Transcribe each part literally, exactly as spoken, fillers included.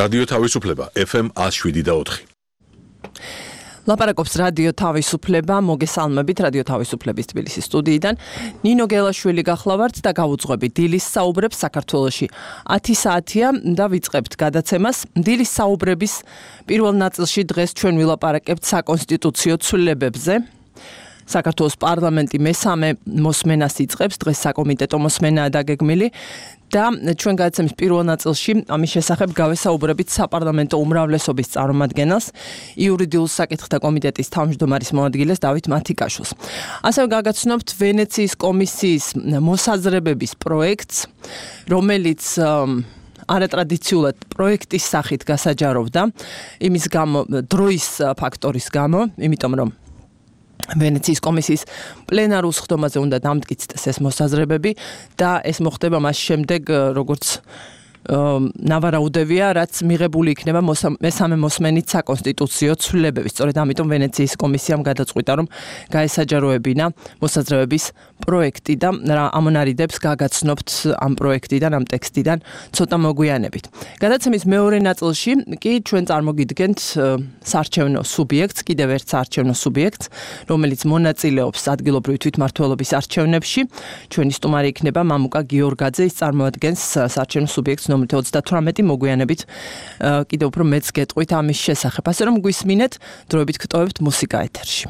რადიო თავისუფლება ეფ ემ one oh seven და four. ლაპარაკობს რადიო თავისუფლება, მოგესალმებით რადიო თავისუფლების თბილისის სტუდიიდან. ნინო გელაშვილი გახლავართ და გავუძღვებით დილის საუბრებს საქართველოში. ათი საათია და ვიწყებთ გადაცემას. დილის საუბრების პირველ ნაწილში დღეს ჩვენ ვილაპარაკებთ საკონსტიტუციო ცვლილებებზე. საქართველოს პარლამენტი მესამე მოსმენას იწყებს, დღეს საკომიტეტო მოსმენაა დაგეგმილი. და ჩვენ გადაცემის პირველ ნაწილში ამის შესახებ გავესაუბრებით საპარლამენტო უმრავლესობის წარმომადგენელს, იურიდიულ საკითხთა კომიტეტის თავმჯდომარის მოადგილეს დავით მათიკაშვილს. ასევე გაგაცნობთ ვენეციის კომისიის მოსაზრებების პროექტს, რომელიც არატრადიციულად პროექტის სახით გასაჯაროვდა, იმის გამო, დროის ფაქტორის გამო, იმიტომ რომ ვენეციის კომისიის პლენარულ სხდომაზე უნდა დამტკიცდეს ეს მოსაზრებები და ეს მოხდება მას შემდეგ, როგორც ნავარაუდევია, რაც მიღებული იქნება მესამე მოსმენით საკონსტიტუციო ცვლილებების. სწორედ ამიტომ ვენეციის კომისიამ გადაწყვიტა, რომ გაესაჯაროებინა მოსაზრებების პროექტი და რა ამონარიდებს გაგაცნობთ ამ პროექტიდან, ამ ტექსტიდან ცოტა მოგვიანებით. გადაცემის მეორე ნაწილში კი ჩვენ წარმოგიდგენთ საარჩევნო სუბიექტს, კიდევ ერთ საარჩევნო სუბიექტს, რომელიც მონაწილეობს ადგილობრივი თვითმმართველობის არჩევნებში. ჩვენი სტუმარი იქნება მამუკა გიორგაძე, ის წარმოადგენს საარჩევნო სუბიექტს ნომრით ოცდათვრამეტი. მოგვიანებით კიდევ უფრო მეც გეტყვით ამის შესახებ. ასე რომ გვისმინეთ, დროებით გტოვებთ მუსიკა ეთერში.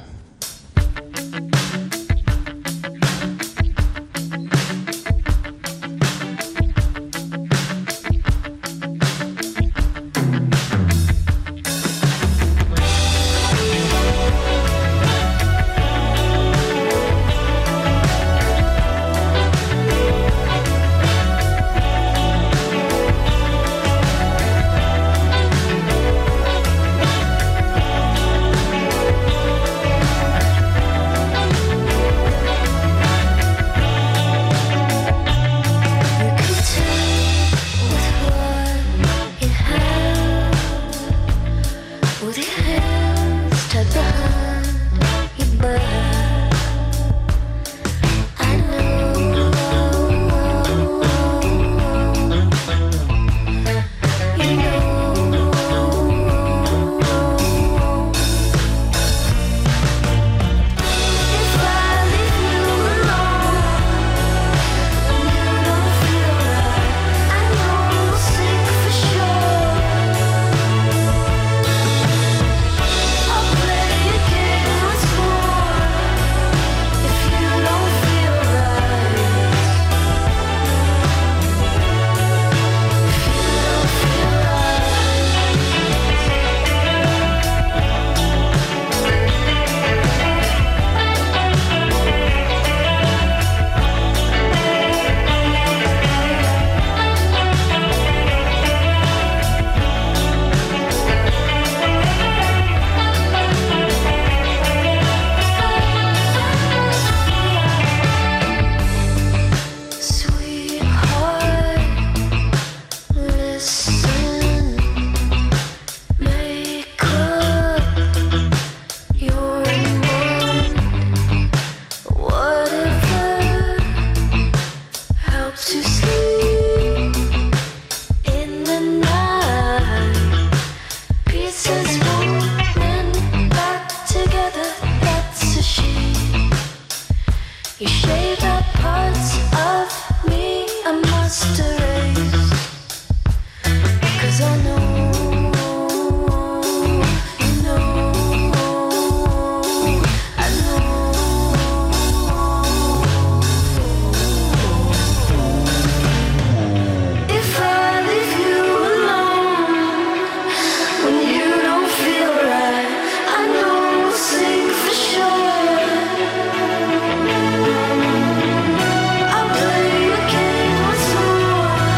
I'll play a game once more.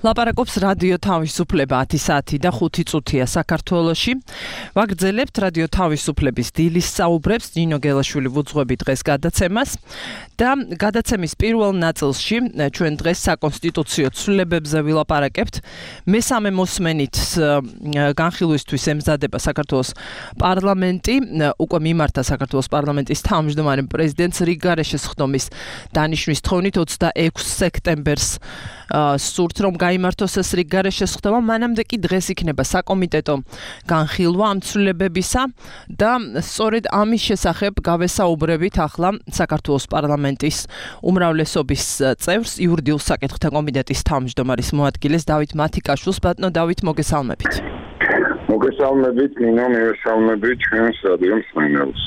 ლაპარაკობს რადიო თავისუფლება ათი საათი და ხუთი წუთია საქართველოში. ვაგრძელებთ რადიო თავისუფლების დილის საუბრებს ნინო გელაშვილი ვუძღვები დღეს გადაცემას და გადაცემის პირველ ნაწილში ჩვენ დღეს საკონსტიტუციო ცვლილებებზე ვილაპარაკებთ. მესამე მოსმენით განხილვისთვის ემზადება საქართველოს პარლამენტი, უკვე მიმართა საქართველოს პარლამენტის თავმჯდომარე პრეზიდენტს რიგგარეშე შესხდომის დანიშვნის თხოვნით ოცდაექვსი სექტემბერს სურთ რომ გაიმართოს ეს რიგგარეშე შესხდომა, მანამდე კი დღეს იქნება საკომიტეტო განხილვა ამ ცვლილებებისა და სწორედ ამის შესახებ გავესაუბრებით ახლა საქართველოს პარლამენტის უმრავლესობის წევრს, იურიდიულ საკითხთა კომიტეტის თავმჯდომარის მოადგილეს დავით მათიკაშვილს. ბატონო დავით, მოგესალმებით. მოგესალმებით, ნინო, მივესალმებით ჩვენს რადიო მსმენელს.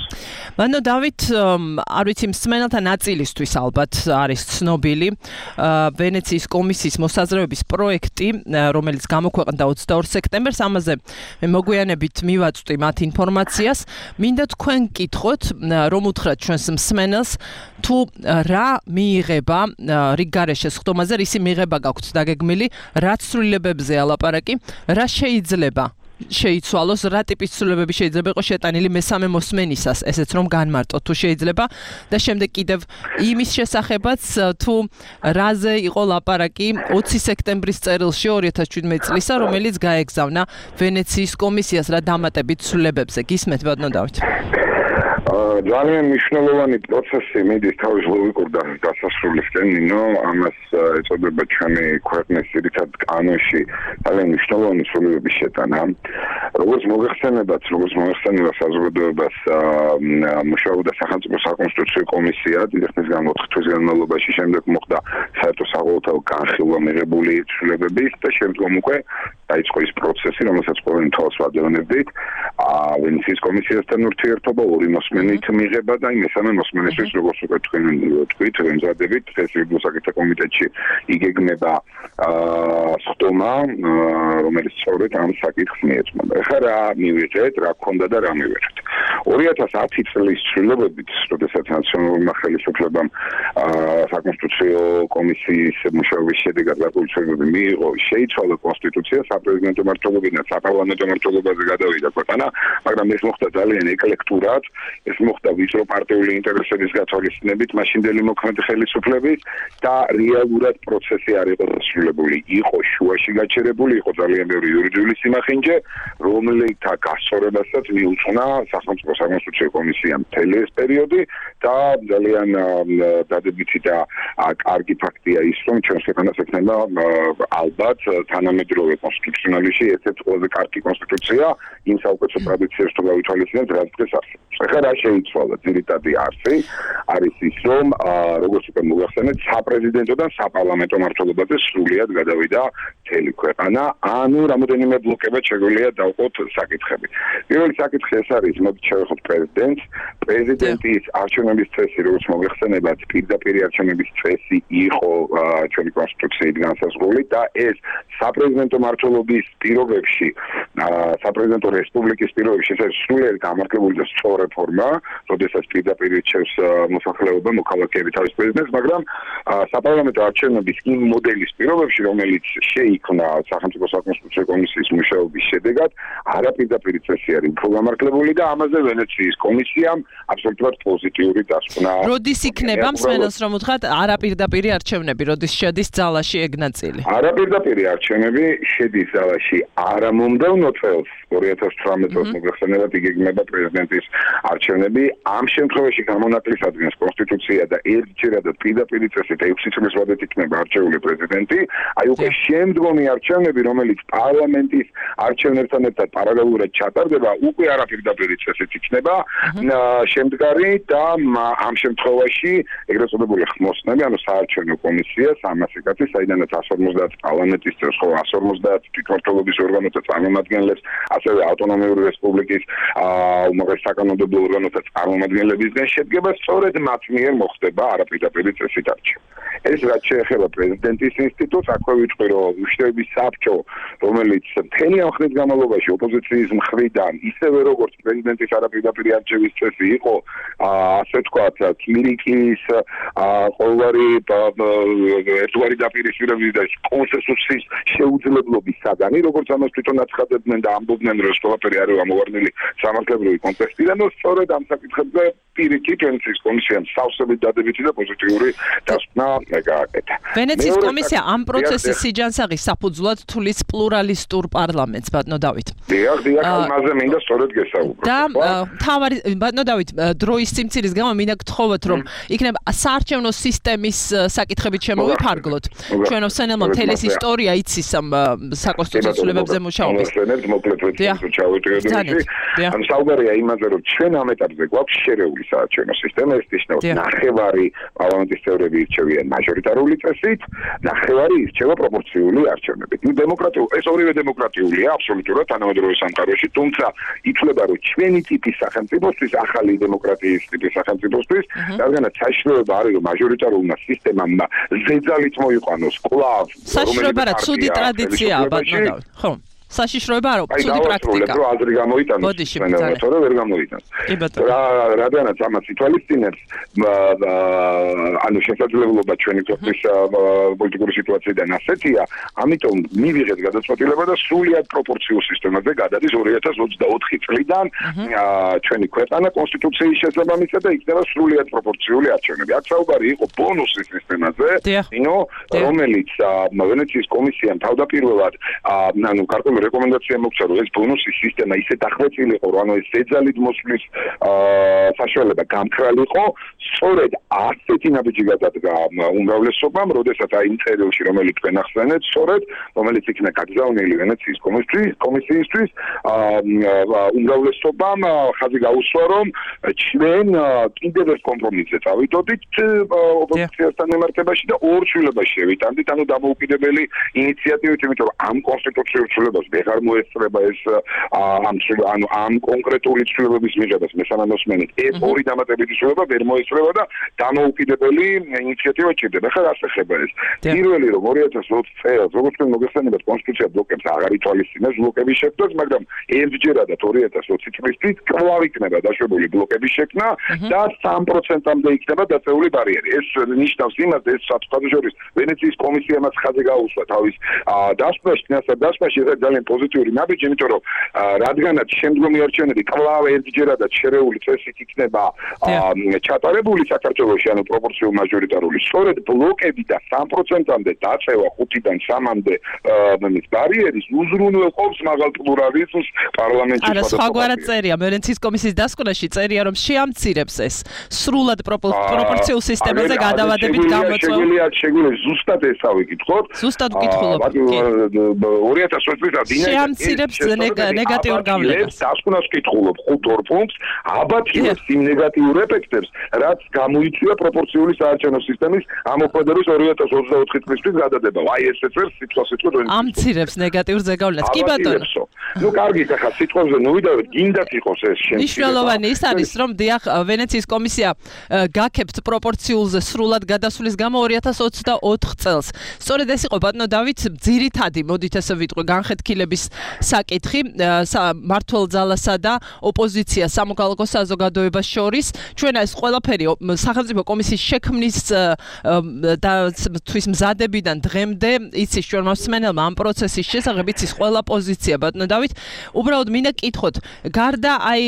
ბატონო დავით, არ ვიცი, მსმენელთა ნაწილისთვის ალბათ არის ცნობილი ვენეციის კომისიის მოსაზრებების პროექტი, რომელიც გამოქვეყნდა ოცდაორ სექტემბერს. ამაზე მე მოგვიანებით მივაწვდი მათ ინფორმაციას. მინდა თქვენ გკითხოთ, რომ უთხრათ ჩვენს მსმენელს, თუ რა მიიღება რიგგარეშე შესხდომაზე, რისი მიღება გაქვთ დაგეგმილი, რა ცვლილებებზეა ლაპარაკი, რა შეიძლება შეიცვალოს, რა ტიპის ცვლილებები შეიძლება იყოს შეტანილი მესამე მოსმენისას, ესეც რომ განმარტოთ თუ შეიძლება და შემდეგ კიდევ იმის შესახებაც, თუ რაზე იყო ლაპარაკი ოცი სექტემბრის წერილში ორი ათას შვიდმეტი წლისა, რომელიც გაეგზავნა ვენეციის კომისიას რა დამატებით ცვლილებებზე. გისმენთ ბატონო დავით? ძალიან მნიშვნელოვანი პროცესი მიდის თავის ლოგიკურ დასასრულისკენ, ნინო, ამას ეწოდება ჩვენი ქვეყნის ძირითად კანონში ძალიან მნიშვნელოვანი ცვლილებების შეტანა. როგორც მოგეხსენებათ, როგორც მოგეხსენება საზოგადოებას მუშაობდა სახელმწიფო საკონსტიტუციო კომისია დიდი ხნის განმავლობაში, თვის განმავლობაში, შემდეგ მოხდა საერთო საყოველთაო განხილვა მიღებული ცვლილებების და შემდგომ უკვე დაიწყო ის პროცესი, რომელსაც ყოველ თვალს ვადევნებდით, ვენეციის კომისიასთან ურთიერთობა ორი მოსმენით მიღება და მესამე მოსმენისთვის, როგორც უკვე თქვენ თქვით, ემზადებით, დღეს იურიდიულ საკითხთა კომიტეტში იგეგმება სხდომა, რომელიც სწორედ ამ საკითხს მიეძღვნება. ეხლა რა მივიღეთ, რა გქონდა და რა მივიღეთ. ორი ათას ათი წლის ცვლილებებით, როდესაც ნაციონალურმა ხელისუფლებამ საკონსტიტუციო კომისიის მუშაობის შედეგად გარკვეული ცვლილებები მიიღო, შეიცვალა კონსტიტუცია, საპრეზიდენტო მმართველობიდან საპარლამენტო მმართველობაზე გადავიდა ქვეყანა, მაგრამ ეს მოხდა ძალიან ეკლექტურად, ეს მოხდა ვიწრო პარტიული ინტერესების გათვალისწინებით, მაშინდელი მოქმედი ხელისუფლების და რეალურად პროცესი არ იყო დასრულებული, იყო შუაში გაჩერებული, იყო ძალიან ბევრი იურიდიული სიმახინჯე, რომელთა გასწორებასაც მიუძღვნა სახელმწიფო საკონსტიტუციო კომისიამ მთელი ეს პერიოდი და ძალიან დადებითი და კარგი ფაქტია ის, რომ ჩვენს ქვეყანას ექნება ალბათ თანამედროვე კონსტიტუციონალიზმში ერთ-ერთი ყველაზე კარგი კონსტიტუცია იმ საუკეთესო ტრადიციებს თუ გავითვალისწინებთ, რაც დღეს არსებობს. ეხლა რა შეიცვალა ძირითადი არსი არის ის, რომ როგორც უკვე მოგახსენეთ, საპრეზიდენტოდან საპარლამენტო მმართველობაზე სრულად გადავიდა მთელი ქვეყანა, ანუ რამოდენიმე ბლოკებად შეგვიძლია დავყოთ საკითხები. პირველი საკითხი ეს არის, მოდით შევეხოთ პრეზიდენტს. პრეზიდენტის არჩევნების წესი, როგორც მოგეხსენებათ, პირდაპირ არჩევნების წესი იყო ჩვენი კონსტიტუციით განსაზღვრული და ეს საპრეზიდენტო მმართველობის პირობებში, საპრეზიდენტო რესპუბლიკის პირობებში ეს არის სრულიად გამართლებული და სწორი რეფორმა, როდესაც პირდაპირ ირჩევს მოსახლეობა მოქალაქეები თავის პრეზიდენტს, მაგრამ საპარლამენტო არჩევნების იმ მოდელის პირობებში, რომელიც შეიქმნა სახელმწიფო საკონსტიტუციო კომისიის მუშაობის შედეგად, არაპირდაპირ წესი არის უფრო გამართლებული და ამაზე ვენეციის კომისიამ აბსოლუტურად პოზიტიური დასკვნა. როდის იქნება მსმენელს რომ უთხრათ არაპირდაპირი არჩევნები, როდის შედის ძალაში ეგ ნაწილი? არაპირდაპირი არჩევნები შედის ძალაში არა მომდევნო წელს, ორი ათას თვრამეტ წელს მოგეხსენებათ, იგეგმება პრეზიდენტის არჩევნები. ამ შემთხვევაში გამონაკლისადგენს კონსტიტუცია და ერთჯერადად პირდაპირ წესით ექვსი წლის ვადით იქნება არჩეული პრეზიდენტი. აი უკვე შემდგომი არჩევნები, რომელიც პარლამენტის არჩევნებთან ერთად პარალელურად ჩატარდება, უკვე არაპირდაპირ წესით იქნება შემდგარი და ამ შემთხვევაში ეგრეთ წოდებული ხმოსნები, ანუ საარჩევნო კომისია სამასი კაცი, საიდანაც εκατს ორმოცდაათი პარლამენტის წევრს, ხო, εκατს ორმოცდაათი თვითმმართველობის ორგანოთა წარმომადგენლებს, ასევე ავტონომიური რესპუბლიკის უმაღლეს საკანონმდებლო ორგანოთა წარმომადგენლებისგან შედგება, სწორედ მათ მიერ მოხდება არაპირდაპირი წესით არჩევა. ეს რაც შეეხება პრეზიდენტის ინსტიტუტს, აქვე ვიტყვი, რომ უშუალოდ საბჭო, რომელიც მთელი ამ ხნის განმავლობაში ოპოზიციის მხრიდან, ისევე როგორც პრეზიდენტის არაპირდაპირი არჩევის წესი იყო, ასე ვთქვათ, კირიკის ყოველგვარი ერთგვარი დაპირისპირების და კონსენსუსის შეუძლებლობის საგანი, როგორც ამას თვითონ აცხადებდნენ და ამბობდნენ, რომ ყველაფერი არის ამოვარდნილი სამართლებრივი კონტექსტიდან, და სწორედ ამ საკითხებზე პირიქით ვენეციის კომისიამ სავსებით დადებითი და პოზიტიური დასკვნა გააკეთა. ვენეციის კომისია ამ პროცესის სიჯანსაღი საფუძვლად თulis პლურალისტურ პარლამენტს, ბატონო დავით. დიახ, დიახ, ამაზე მინდა სწორედ გესაუბრო. და თავარი ბატონო დავით, დროის სიმცირის გამო მინდა გთხოვოთ, რომ იქნება საარჩევნო სისტემის საკითხებით შემოვიფარგლოთ. ჩვენ ვსენელმა მთელი ეს ისტორია იცის ამ საკონსტიტუციო ცვლილებებზე მუშაობის. ვსენებთ მოკლედ ჩავეტიოდეთ. ამ საუბარია იმაზე, რომ ჩვენ ამ ეტაპზე გვაქვს შერეული საარჩევნო სისტემა, ეს ნიშნავს ნახევარი პარლამენტის წევრები ირჩევიან მაჟორიტარული წესით, ნახევარი ირჩევა პროპორციული არჩევნებით. ნუ დემოკრატიული, ეს ორივე დემოკრატიულია აბსოლუტურად თანამედროვე სამყაროში, თუმცა ითვლება, რომ ჩვენი ტიპის სახელმწიფოსთვის, ახალი დემოკრატიის ტიპის სახელმწიფოსთვის, რადგანაც საშიშროება არის, რომ მაჟორიტარულმა სისტემამ ზეძალით მოიყვანოს კვლავ, საშიშროება რა ცუდი ტრადიციაა, ბატონო დავით. ხო. საშიშროება არა, ცუდი პრაქტიკა. რო აზრი გამოიტანოს, თორე ვერ გამოიტანოს. რა რადგანაც ამას ითვალისწინებს, ანუ შესაძლებლობა ჩვენი ქვეყნის პოლიტიკური სიტუაციიდან ასეთია, ამიტომ მივიღეთ გადაწყვეტილება და სრულად პროპორციულ სისტემაზე გადადის ორი ათას ოცდაოთხი წლიდან ჩვენი ქვეყანა კონსტიტუციის შესაბამისად და იქნება სრულად პროპორციული არჩევნები. აქ საუბარი იყო ბონუსის სისტემაზე, ინო რომელიც ვენეციის კომისიამ თავდაპირველად ანუ გარკვეული რეკომენდაცია მოგცა, რომ ეს ბონუსის სისტემა ისე დახვეწილიყო, რომ ანუ ეს ზეძალით მოსვლის საშუალება გამქრალიყო, სწორედ ასეთი ნაბიჯი გადადგა უმრავლესობამ, როდესაც აი იმ წერილში, რომელიც თქვენ ახსენეთ, სწორედ, რომელიც იქნა გაგზავნილი ვენეციის კომისიისთვის, უმრავლესობამ ხაზი გაუსვა, რომ ჩვენ კიდევ ერთ კომპრომისზე წავიდოდით ოპოზიციასთან მიმართებაში და ორ ცვლილებაში შევიტანდით, ანუ დამოუკიდებელი ინიციატივით, იმიტომ რომ ამ კონსტიტუციურ ცვლილებას ვეღარ მოესწრება ეს ამ ანუ ამ კონკრეტული ცვლილებების მიღებას მესამე მოსმენით ეს ორი დამატებითი ცვლილება ვერ მოესწრება და დამოუკიდებელი ინიციატივა ჭირდება. ხა რას ეხება ეს? პირველი რომ ორი ათას ოცდაოთხ წელს როგორც თქვენ მოგეხსენებათ კონსტიტუცია ბლოკებს აღარ ითვალისწინებს ბლოკების შექმნას, მაგრამ ერთჯერადად ორი ათას ოცი წლის წინ კვლავ იქნება დაშვებული ბლოკების შექმნა და სამ პროცენტამდე იქნება დაწეული ბარიერი. ეს ნიშნავს იმას, ეს საერთაშორისო ვენეციის კომისიამაც ხაზი გაუსვა თავის დასკვნაში, დასკვნაში ეს ძალიან პოზიტიური ნაბიჯი, იმიტომ რომ რადგანაც შემდგომი არჩევნები კვლავ ერთჯერადად შერეული წესით იქნება ჩატარებული საქართველოში, ანუ პროპორციულ მაჟორიტარული, სწორედ ბლოკები და სამ პროცენტამდე დაწევა ხუთიდან სამამდე მის ბარიერის უზრუნველყოფს მაღალ პლურალიზმს პარლამენტში. არა, სხვაგვარად წერია ვენეციის კომისიის დასკვნაში, წერია რომ შეამცირებს ეს სრულად პროპორციულ სისტემაზე გადავადებით გამოწვეულ. შეგვიძლია შეგვიძლია ზუსტად ეს ავიკითხოთ. ზუსტად ვკითხულობ. ორი ათას ოცი წლის შეამცირებს ნეგატიურ გავლენას. დასკვნას ვკითხულობ ხუთ ორ პუნქტს, აბათილებს იმ ნეგატიურ ეფექტებს, რაც გამოიწვია პროპორციული საარჩევნო სისტემის ამოქმედების ორი ათას ოცდაოთხი წლისთვის გადადება. აი ესეც ვერ სიტყვასიტყვით ვენეციის. ამცირებს ნეგატიურ ზეგავლენას. კი ბატონო. ნუ კარგით, ახლა სიტყვებზე ნუ ვიდავით, გინდათ იყოს ეს შემთხვევა. მნიშვნელოვანი ის არის, რომ დიახ, ვენეციის კომისია გაქებთ პროპორციულზე სრულად გადასვლის გამო ორი ათას ოცდაოთხ წელს. სწორედ ეს იყო ბატონო დავით ძირითადი, მოდით ესე ვიტყვი, განხეთქილების საკითხი მმართველ ძალასა და ოპოზიციას სამოქალაქო საზოგადოებას შორის. ჩვენ ეს ყველაფერი სახელმწიფო კომისიის შექმნის და თვის მზადებიდან დღემდე იცის ჩვენ მოსმენელმა ამ პროცესის შესახებ იცის ყველა პოზიცია ბატონო დავით. უბრალოდ მინდა კითხოთ, გარდა აი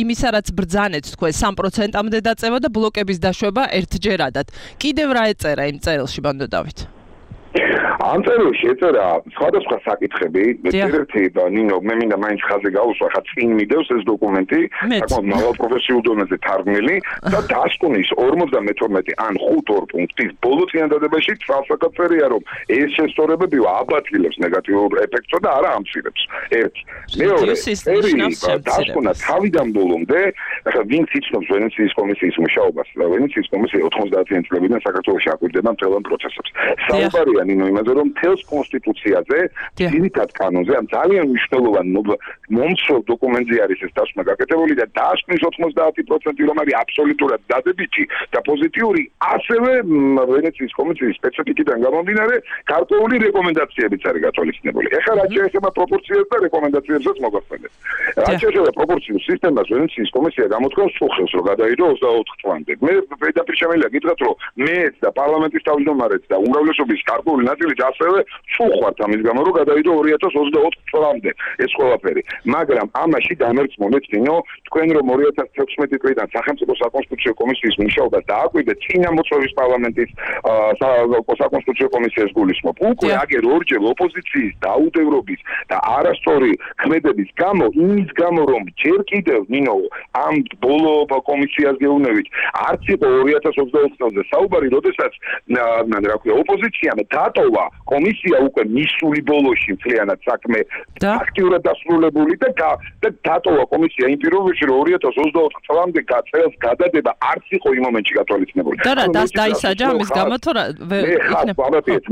იმისა, რაც ბრძანეთ თქვენ სამ პროცენტამდე დაწევა და ბლოკების დაშვება ერთჯერადად. კიდევ რა ეწერა იმ წერილში ბატონო დავით? ამ წერილში ეწერა სხვადასხვა საკითხები, ერთ-ერთი ნინო მე მინდა მაინც ხაზი გაუსვა, ხა წინ მიდევს ეს დოკუმენტი, საკმაოდ მაღალ პროფესიულ დონეზე თარგმნილი და დასკვნის ორმოცდამეთორმეტი ან ხუთ ორ პუნქტის ბოლო წინადადებაში თვალსაჩინოა, რომ ეს შესწორებები აბათილებს ნეგატიურ ეფექტს და არა ამცირებს. ერთ. მეორე, დასკვნა თავიდან ბოლომდე, ხა ვინც იცნობს ვენეციის კომისიის მუშაობას, ვენეციის კომისია ოთხმოცდაათიანი წლებიდან საქართველოში აკვირდება მთელ ამ პროცესებს. საუბარია ნინო იმაზე, რომ თელს კონსტიტუციაზე, ძირითად კანონზე, ამ ძალიან მნიშვნელოვან მომცროლ დოკუმენტზე არის ეს დასკვნა გაკეთებული და დაასკვნის ოცდაათი პროცენტი რომ არის აბსოლუტურად დადებითი და პოზიტიური, ასევე ვენეციის კომისიის სპეციფიკიდან გამომდინარე, გარკვეული რეკომენდაციებიც არის გათვალისწინებული. ეხლა რაც შეეხება პროპორციებს და რეკომენდაციებსაც მოგახსენეთ. რაც შეეხება პროპორციულ სისტემას, ვენეციის კომისია გამოთქვამს სულხელს, რომ გადაიდო ოცდაოთხ წლამდე. მე პირდაპირ შემიძლია გითხრათ, რომ მეც და პარლამენტის თავმჯდომარეც და უმრავლესობის გარკვეული ნაწილიც ასევე სულხვართ ამის გამო, რომ გადაიდო ორი ათას ოცდაოთხ წლამდე ეს ყველაფერი. მაგრამ ამაში დამერწმუნეთ, ნინო, თქვენ რომ ორი ათას თექვსმეტი წლიდან სახელმწიფო საკონსტიტუციო კომისიის მუშაობას დააკვირდეთ წინა მოწვევის პარლამენტის საკონსტიტუციო კომისიას გულისხმობ. უკვე აგერ ორჯერ ოპოზიციის დაუდევრობის და არასწორი ქმედების გამო, იმის გამო რომ ჯერ კიდევ ნინო ამ ბოლო კომისიას გეუბნებით, არც იყო ორი ათას ოცდაოთხ წელზე საუბარი, როდესაც რა ქვია, ოპოზიციამ დატოვა კომისია უკვე მისული ბოლოში მთლიანად საქმე აქტიურად დასრულებული და და დატოვა კომისია იმ პირობებში, რომ ორი ათას ოცდაოთხ წლამდე წელს გადადება არც იყო იმ მომენტში გათვალისწინებული. და რა დაისაჯა ამის გამო თუ რა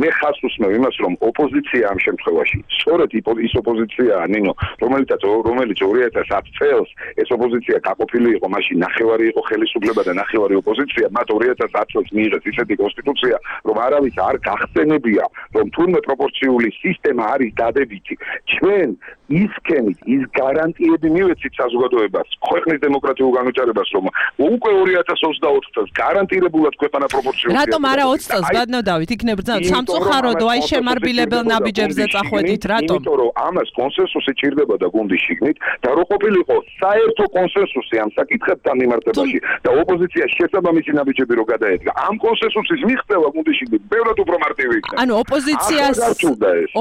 მე ხას უსმევ იმას, რომ ოპოზიცია ამ შემთხვევაში სწორედ ის ოპოზიციაა, ნინო, რომელიც რომელიც ორი ათას ათი წელს ეს ოპოზიცია გაყოფილი იყო, მაშინ ნახევარი იყო ხელისუფლება და ნახევარი ოპოზიცია, მათ ორი ათას ათი წელს მიიღეს ისეთი კონსტიტუცია, რომ არავის არ გახსენებია, რომ თურმე პროპორციული სისტემა არის დადებითი. ჩვენ ისქენით, ის გარანტიები მივეცით საზოგადოებას, ქვეყნის დემოკრატიულ განვითარებას, რომ უკვე ორი ათას ოცდაოთხ წელს გარანტირებულად ქვეყანა პროპორციულია. რატომ არა ოცი წელს გადნოდავით, იქნებ სამწუხაროდ, აი შემარბილებელ ნაბიჯებზე წახვედით, რატომ? იმიტომ რომ ამას კონსენსუსი ჭირდებოდა გუნდის შიგნით და რო ყოფილიყო საერთო კონსენსუსი ამ საკითხებთან მიმართებაში და ოპოზიცია შესაბამისი ნაბიჯები რო გადაედგა, ამ კონსენსუსის მიღწევა გუნდის შიგნით ბევრად უფრო მარტივი იქნება. ანუ ოპოზიციას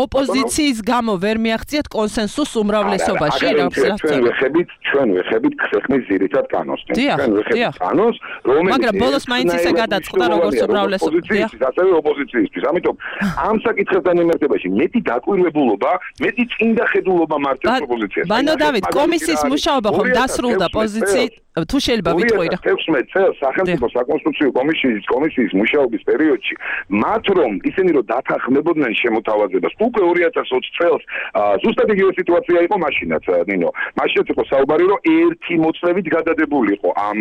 ოპოზიციის გამო ვერ მიაღწიათ კონსენსუსს უმრავლესობაში, რა ჩვენ ვეხებით, ჩვენ ვეხებით ქვეყნის ძირითად კანონს. ჩვენ ვეხებით კანონს, რომელიც მაგრამ ბოლოს მაინც ისე გადაწყდა, როგორც უმრავლესობის, ასევე ოპოზიციისთვის. ამიტომ ამ საკითხებთან მიმართებაში მეტი დაკვირვებულობა, მეტი წინდა ხედულობა მართავს ოპოზიციას. ბანო დავით, კომისიის მუშაობა ხომ დასრულდა პოზიციით? თუ შეიძლება ვიტყვი რა. თექვსმეტ წელს სახელმწიფო საკონსტიტუციო კომისიის კომისიის მუშაობის პერიოდში, მათ რომ ისინი რომ დათანხმებოდნენ შემოთავაზებას, უკვე ორი ათას ოცი წელს ზუსტად იგივე სიტუაცია იყო მაშინაც, ნინო. მაშინაც იყო საუბარი, რომ ერთი მოწვევით გადადებული იყო ამ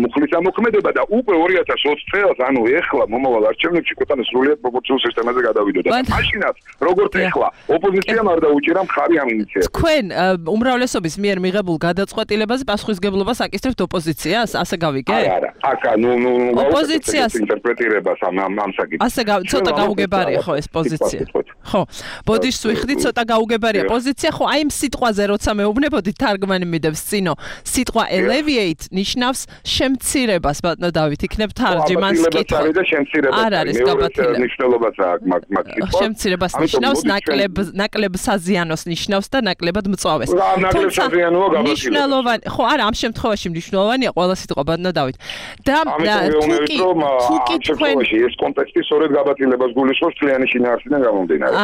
მუხლის ამოქმედება და უკვე ორი ათას ოცი წელს, ანუ ეხლა მომავალ არჩევნებში ქვეყანა სრულიად პროპორციულ სისტემაზე გადავიდოდა. მაშინაც, როგორც ეხლა, ოპოზიციამ არ დაუჭირა მხარი ამ ინიციატივას. თქვენ უმრავლესობის მიერ მიღებულ გადაწყვეტილებაზე პასუხისგებლობას აკისრებთ ოპოზიციას, ასე გავიგე? არა, არა. აკა, ნუ ნუ ოპოზიციას ინტერპრეტირებას ამ ამ საკითხს. ასე ცოტა გაუგებარია ხო ეს პოზიცია. ხო. ბოდიშს ვიხდი, ცოტა გაუგებარია პოზიცია, ხო, აი ამ სიტყვაზე როცა მეუბნებოდი, თარგმანი მიდევს წინო. სიტყვა alleviate ნიშნავს შემცირებას, ბატონო დავით, იქნებ თარჯიმანს კითხვა. არის და შემცირება. არ არის გაბათილება. ნიშნულობაც აქვს მაგ მაგ სიტყვა. შემცირებას ნიშნავს, ნაკლებ ნაკლებ საზიანოს ნიშნავს და ნაკლებად მწვავეს. ნაკლებ საზიანოა გაბათილება. მნიშვნელოვანი, ხო, არა, ამ შემთხვევაში მნიშვნელოვანია ყველა სიტყვა, ბატონო დავით. და თუკი თუკი თქვენ ეს კონტექსტი სწორედ გაბათილებას გულისხმობს მთლიანი შინაარსიდან გამომდინარე.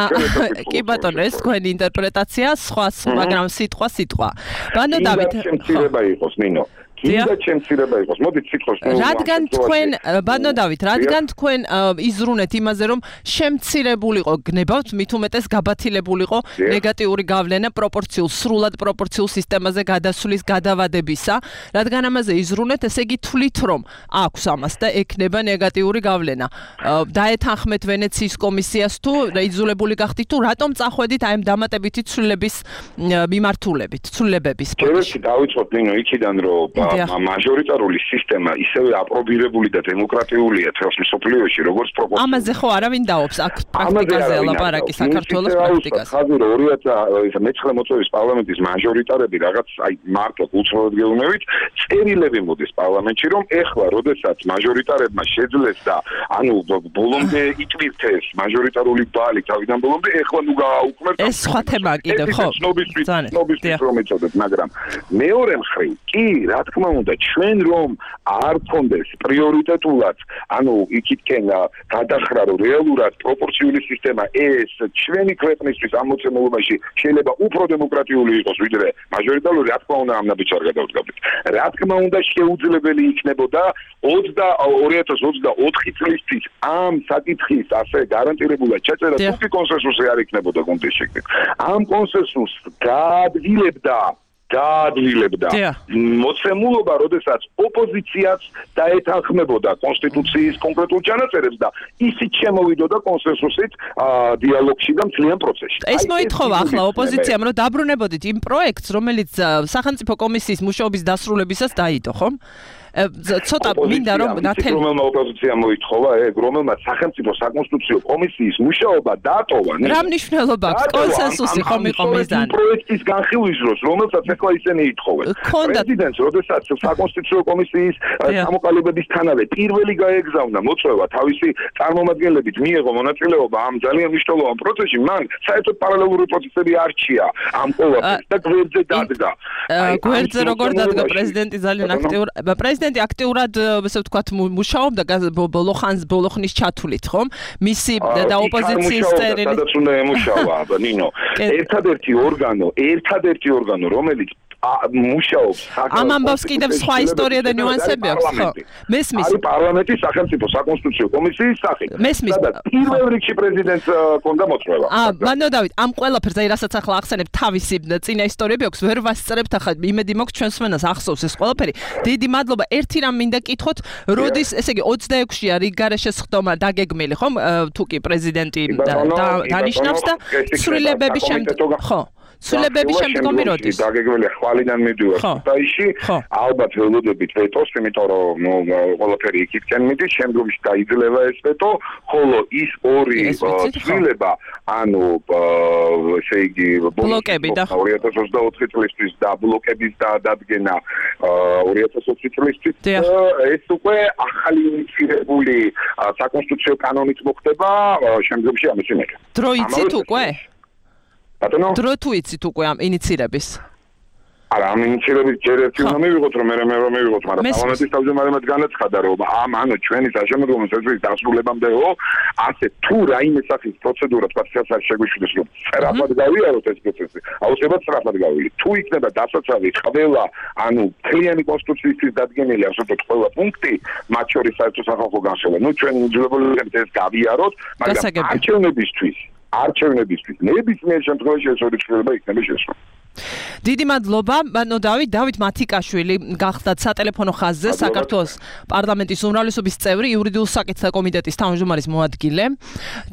კი ბატონო, ეს თქვენი ინტერპრეტაცია, სხვა, მაგრამ სიტყვა სიტყვა. ბატონო დავით, შემცირება იყოს, ნინო. კიდე შემცირება იყოს. მოდით სიტყვის რადგან თქვენ ბატონო დავით, რადგან თქვენ იზრუნეთ იმაზე, რომ შემცირებულიყო გნებავთ, მით უმეტეს გაბათილებულიყო ნეგატიური გავლენა პროპორციულ, სრულად პროპორციულ სისტემაზე გადასვლის გადავადებისა, რადგან ამაზე იზრუნეთ, ესე იგი თვლით, რომ აქვს ამას და ექნება ნეგატიური გავლენა. დაეთანხმეთ ვენეციის კომისიას თუ იძულებული გახდით თუ რატომ წახვედით აი ამ დამატებითი ცვლილების მიმართულებით, ცვლილებების პროცესში დავიწყოთ ნინო იქიდან რომ მაჟორიტარული სისტემა ისევე აპრობირებული და დემოკრატიულია თელს მსოფლიოში, როგორც პროპორცია. ამაზე ხო არავინ დაობს აქ პრაქტიკაზე ლაპარაკი საქართველოს პრაქტიკაზე. ხაზი რომ ორი ათას მეცხრე მოწვევის პარლამენტის მაჟორიტარები რაღაც აი მარტო უცხოოდ გეუბნებით, წერილები მოდის პარლამენტში, რომ ეხლა როდესაც მაჟორიტარებმა შეძლეს და ანუ ბოლომდე იტვირთეს მაჟორიტარული ბალი თავიდან ბოლომდე, ეხლა ნუ გააუქმებთ. ეს სხვა თემაა კიდევ, ხო? ცნობისთვის რომ იცოდეთ, მაგრამ მეორე მხრივ კი რა თქმა უნდა, ჩვენ რომ არ გქონდეს პრიორიტეტულად, ანუ იქითკენ გადახრა რომ რეალურად პროპორციული სისტემა ეს ჩვენი ქვეყნისთვის ამოცემულობაში შეიძლება უფრო დემოკრატიული იყოს ვიდრე მაჟორიტარული, რა თქმა უნდა ამ ნაბიჯს არ გადავდგავდით. რა თქმა უნდა შეუძლებელი იქნებოდა ორი ათას ოცდაოთხი წლისთვის ამ საკითხის ასე გარანტირებულად ჩაწერა თუკი კონსენსუსი არ იქნებოდა გუნდის შექმნით. ამ კონსენსუსს გაადვილებდა გაადვილებდა მოცემულობა, როდესაც ოპოზიციაც დაეთანხმებოდა კონსტიტუციის კონკრეტულ ჩანაწერებს და ისიც შემოვიდოდა კონსენსუსით დიალოგში და მთლიან პროცესში. ეს მოითხოვა ახლა ოპოზიციამ, რომ დაბრუნებოდით იმ პროექტს, რომელიც სახელმწიფო კომისიის მუშაობის დასრულებისას დაიდო, ხომ? ცოტა მინდა რომ ნათელი რომელმა ოპოზიციამ მოითხოვა ეგ, რომელმაც სახელმწიფო საკონსტიტუციო კომისიის მუშაობა დაატოვა. რა მნიშვნელობა აქვს კონსენსუსი ხომ იყო მიზანი? პროექტის განხილვის დროს, რომელსაც ახლა ისინი ითხოვენ. პრეზიდენტს, როდესაც საკონსტიტუციო კომისიის ჩამოყალიბებისთანავე პირველი გაეგზავნა მოწვევა თავისი წარმომადგენლებით მიიღო მონაწილეობა ამ ძალიან მნიშვნელოვან პროცესში, მან საერთოდ პარალელური პროცესები არჩია ამ ყველაფერს და გვერდზე დადგა. გვერდზე როგორ დადგა პრეზიდენტი ძალიან აქტიურ პრეზიდენტი აქტიურად ესე ვთქვათ მუშაობდა ბოლო ხანს ბოლო ხნის ჩათვლით, ხომ? მისი და ოპოზიციის წერილი. სადაც უნდა ემუშავა, ნინო. ერთადერთი ორგანო, ერთადერთი ორგანო, რომელიც მუშაობს ამ ამბავს კიდევ სხვა ისტორია და ნიუანსები აქვს, ხო? მესმის. არის პარლამენტის სახელმწიფო საკონსტიტუციო კომისიის სახით. მესმის. პირველ რიგში პრეზიდენტს კონდა მოწვევა. აა, მანდ დავით, ამ ყველაფერს აი რასაც ახლა ახსენებ თავისი წინა ისტორიები აქვს, ვერ ვასწრებთ ახლა, იმედი მაქვს ჩვენს მენას ახსოვს ეს ყველაფერი. დიდი მადლობა. ერთი რამ მინდა კითხოთ, როდის, ესე იგი ოცდაექვსია რიგგარეშე სხდომა დაგეგმილი, ხომ? თუ კი პრეზიდენტი დანიშნავს და ცვლილებების შემდეგ, ხო? ცვლილებების შემდგომი როდის? დაგეგმილი ხვალიდან მიდივარ ხუთაისში, ალბათ ველოდებით ვეტოს, იმიტომ რომ ყველაფერი იქითკენ მიდის, შემდგომში დაიძლევა ეს ვეტო, ხოლო ის ორი ცვლილება, ანუ ესე იგი ბლოკები და ორი ათას ოცდაოთხი წლისთვის და ბლოკების დადგენა ორი ათას ოცი წლისთვის, ეს უკვე ახალი ინიცირებული საკონსტიტუციო კანონით მოხდება, შემდგომში ამის იმედი. დრო იცით უკვე? ბატონო? დრო თუ იცით უკვე ამ ინიცირების? არა, ამ ინიცირების ჯერ ერთი უნდა მივიღოთ, რომ მე მე რომ მივიღოთ, მაგრამ პარლამენტის თავმჯდომარემაც განაცხადა, რომ ამ ანუ ჩვენი საშემოდგომო წესების დასრულებამდეო, ასე თუ რაიმე სახის პროცედურა თქვა შეასრულოს შეგვიშვიდეს, რომ სწრაფად გავიაროთ ეს პროცესი, აუცილებლად სწრაფად გავიაროთ. თუ იქნება დასაცავი ყველა, ანუ მთლიანი კონსტიტუციის დადგენილი ასე ვთქვათ ყველა პუნქტი, მათ შორის საერთო სახალხო განხილვა, ну ჩვენ უძლებელია ეს გავიაროთ, მაგრამ არჩევნებისთვის არჩევნებისთვის ნებისმიერ შემთხვევაში ეს ორი ცვლილება იქნება შესრულებული. დიდი მადლობა, ბანო დავით, დავით მათიკაშვილი გახდათ სატელეფონო ხაზზე საქართველოს პარლამენტის უმრავლესობის წევრი, იურიდიულ საკითხთა კომიტეტის თავმჯდომარის მოადგილე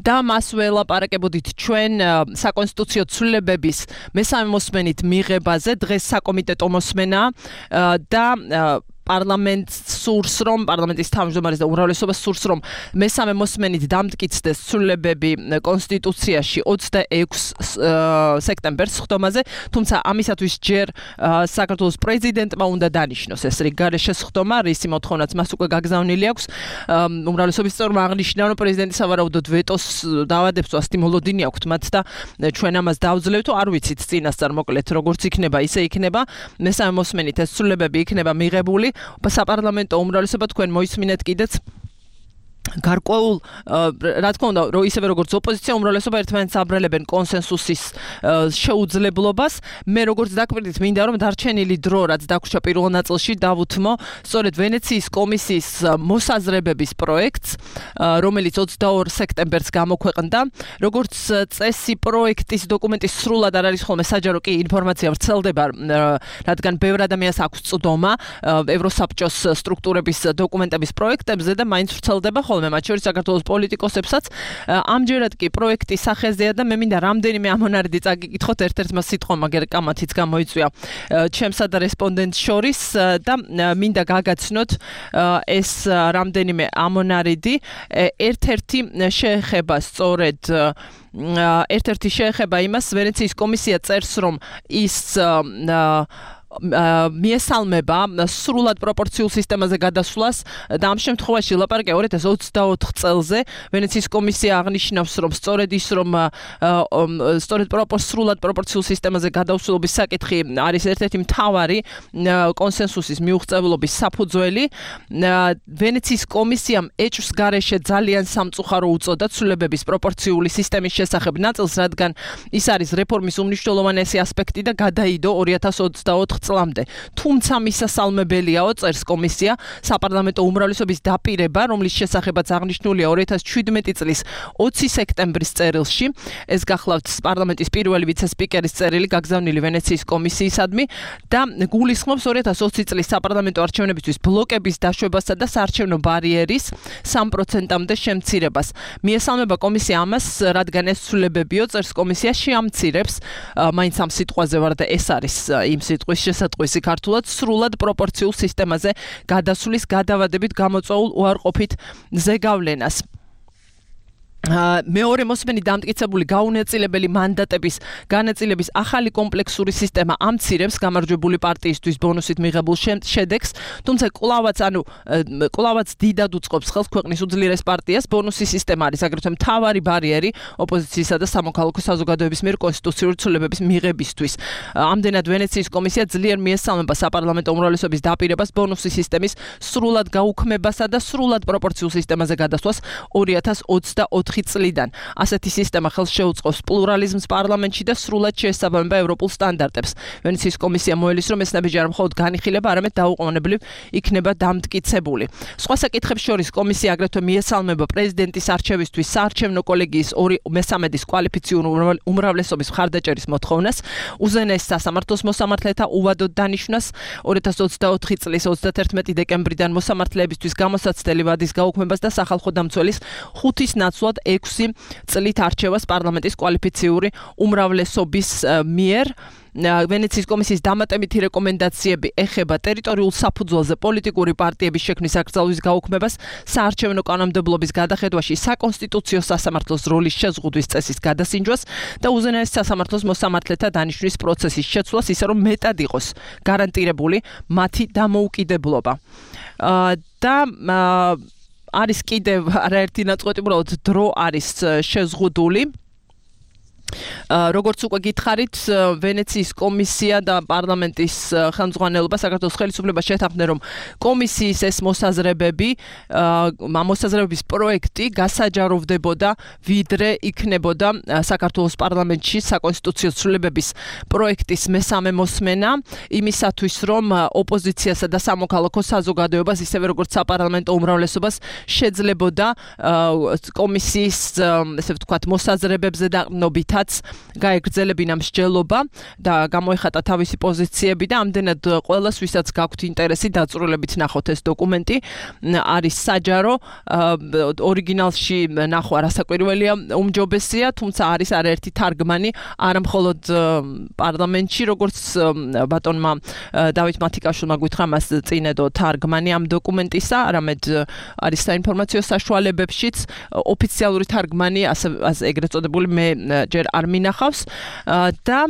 და მას ველაპარაკებოდით ჩვენ საკონსტიტუციო ცვლილებების მესამე მოსმენით მიღებაზე, დღეს საკომიტეტო მოსმენა და პარლამენტს სურს რომ პარლამენტის თავმჯდომარის და უმრავლესობას სურს რომ მესამე მოსმენით დამტკიცდეს ცვლილებები კონსტიტუციაში ოცდაექვსი სექტემბერს სხდომაზე, თუმცა ამისათვის ჯერ საქართველოს პრეზიდენტმა უნდა დანიშნოს ეს რიგგარეშე სხდომა, რისი მოთხოვნაც მას უკვე გაგზავნილი აქვს. უმრავლესობის წევრმა აღნიშნა რომ პრეზიდენტი სავარაუდოდ ვეტოს დავადებს და სტიმულოდინი აქვს მათ და ჩვენ ამას დავძლევთ, არ ვიცით წინასწარ მოკლედ როგორც იქნება, ისე იქნება. მესამე მოსმენით ეს ცვლილებები იქნება მიღებული. საპარლამენტო უმრავლესობა თქვენ მოისმინეთ კიდეც გარკვეულ რა თქმა უნდა რომ ისევე როგორც ოპოზიცია უმრავლესობა ერთმანეთს აბრალებენ კონსენსუსის შეუძლებლობას, მე როგორც დაკვირდით მინდა რომ დარჩენილი დრო რაც დაგვრჩა პირველ ნაწილში დავუთმო სწორედ ვენეციის კომისიის მოსაზრებების პროექტს, რომელიც ოცდაორ სექტემბერს გამოქვეყნდა. როგორც წესი პროექტის დოკუმენტი სრულად არ არის ხოლმე საჯარო კი ინფორმაცია ვრცელდება, რადგან ბევრ ადამიანს აქვს წვდომა ევროსაბჭოს სტრუქტურების დოკუმენტების პროექტებზე და მაინც ვრცელდება ხოლმე მათ შორის საქართველოს პოლიტიკოსებსაც. ამჯერად კი პროექტი სახეზეა და მე მინდა რამდენიმე ამონარიდი წაგიკითხოთ, ერთ-ერთმა სიტყვამ მაგერ კამათიც გამოიწვია ჩემსა და რესპონდენტს შორის და მინდა გაგაცნოთ ეს რამდენიმე ამონარიდი. ერთ-ერთი შეეხება სწორედ ერთ-ერთი შეეხება იმას, ვენეციის კომისია წერს, რომ ის მიესალმება სრულად პროპორციულ სისტემაზე გადასვლას და ამ შემთხვევაში ლაპარაკია ორი ათას ოცდაოთხ წელზე. ვენეციის კომისია აღნიშნავს, რომ სწორედ ის, რომ სწორედ სრულად პროპორციულ სისტემაზე გადასვლობის საკითხი არის ერთ-ერთი მთავარი კონსენსუსის მიუღწევლობის საფუძველი. ვენეციის კომისიამ ეჭვს გარეშე ძალიან სამწუხარო უწოდა ცვლილებების პროპორციული სისტემის შესახებ ნაწილს, რადგან ის არის რეფორმის უმნიშვნელოვანესი ასპექტი და გადაიდო ორი ათას ოცდაოთხ წლამდე. თუმცა მისასალმებელიაო, წერს კომისია, საპარლამენტო უმრავლესობის დაპირება, რომლის შესახებაც აღნიშნულია ორი ათას შვიდმეტი წლის ოცი სექტემბრის წერილში. ეს გახლავთ პარლამენტის პირველი ვიცე-სპიკერის წერილი გაგზავნილი ვენეციის კომისიისადმი და გულისხმობს ორი ათას ოცი წლის საპარლამენტო არჩევნებისთვის ბლოკების დაშვებასა და საარჩევნო ბარიერის სამ პროცენტამდე შემცირებას. მიესალმება კომისია ამას, რადგან ეს ცვლილებებიო, წერს კომისია, შეამცირებს, მაინც ამ სიტყვაზე ვარ და ეს არის იმ სიტყვის შესატყვისი ქართულად, სრულად პროპორციულ სისტემაზე გადასვლის გადავადებით გამოწვეულ უარყოფით ზეგავლენას. მეორე მოსმენი დამტკიცებული გაუნაწილებელი მანდატების განაწილების ახალი კომპლექსური სისტემა ამცირებს გამარჯვებული პარტიისთვის ბონუსით მიღებულ შედეგს, თუმცა კვლავაც, ანუ კვლავაც დიდად უწყობს ხელს ქვეყნის უძლიერეს პარტიას. ბონუსის სისტემა არის აგრეთვე მთავარი ბარიერი ოპოზიციისა და სამოქალაქო საზოგადოების მიერ კონსტიტუციური ცვლილებების მიღებისთვის. ამდენად ვენეციის კომისია ძლიერ მიესალმება საპარლამენტო უმრავლესობის დაპირებას ბონუსის სისტემის სრულად გაუქმებასა და სრულად პროპორციულ სისტემაზე გადასვლას ორი ათას ოცდაოთხ წლიდან. ასეთი სისტემა ხელს შეუწყობს პლურალიზმს პარლამენტში და სრულად შეესაბამება ევროპულ სტანდარტებს. ვენეციის კომისია მოელის, რომ ეს ნაბიჯი არა მხოლოდ განიხილება, არამედ დაუყოვნებლივ იქნება დამტკიცებული. სხვა საკითხებს შორის კომისია აგრეთვე მიესალმება პრეზიდენტის არჩევისთვის საარჩევნო კოლეგიის ორი მესამედის კვალიფიციური უმრავლესობის მხარდაჭერის მოთხოვნას, უზენაეს სასამართლოს მოსამართლეთა უვადოდ დანიშვნას, ორი ათას ოცდაოთხი წლის ოცდაათერთმეტი დეკემბრიდან მოსამართლეებისთვის გამოსაცდელი ვადის გაუქმებას და სახალხო დამცველის ხუთის ნაცვლად ექვსი წლით არჩევას პარლამენტის კვალიფიციური უმრავლესობის მიერ. ვენეციის კომისიის დამატებითი რეკომენდაციები ეხება ტერიტორიულ საფუძველზე პოლიტიკური პარტიების შექმნის აკრძალვის გაუქმებას, საარჩევნო კანონმდებლობის გადახედვაში საკონსტიტუციო სასამართლოს როლის შეზღუდვის წესის გადასინჯვას და უზენაეს სასამართლოს მოსამართლეთა დანიშვნის პროცესის შეცვლას, ისე რომ მეტად იყოს გარანტირებული მათი დამოუკიდებლობა. და არის კიდევ არაერთი ნაწყვეტი, უბრალოდ დრო არის შეზღუდული. როგორც უკვე გითხარით, ვენეციის კომისია და პარლამენტის ხელმძღვანელობა საქართველოს ხელისუფლებას შეთანხმდნენ, რომ კომისიის ეს მოსაზრებები, მოსაზრებების პროექტი გასაჯაროვდებოდა, ვიდრე იქნებოდა საქართველოს პარლამენტში საკონსტიტუციო ცვლილებების პროექტის მესამე მოსმენა, იმისათვის, რომ ოპოზიციასა და სამოქალაქო საზოგადოებას, ისევე როგორც საპარლამენტო უმრავლესობას შეძლებოდა კომისიის, ესე ვთქვათ, მოსაზრებებზე დაყრდნობითაც გაეგრძელებინა მსჯელობა და გამოეხატა თავისი პოზიციები და ამდენად ყველას, ვისაც გაქვთ ინტერესი, დაწვრილებით ნახოთ ეს დოკუმენტი. არის საჯარო, ორიგინალში ნახვა რასაკვირველია, უმჯობესია, თუმცა არის არაერთი თარგმანი, არა მხოლოდ პარლამენტში, როგორც ბატონმა დავით მათიკაშვილმა გითხრა, მას წინედო თარგმანი ამ დოკუმენტისა, არამედ არის საინფორმაციო საშუალებებშიც ოფიციალური თარგმანი, ასე ეგრეთ წოდებული, მე ჯერ არ მინახავს და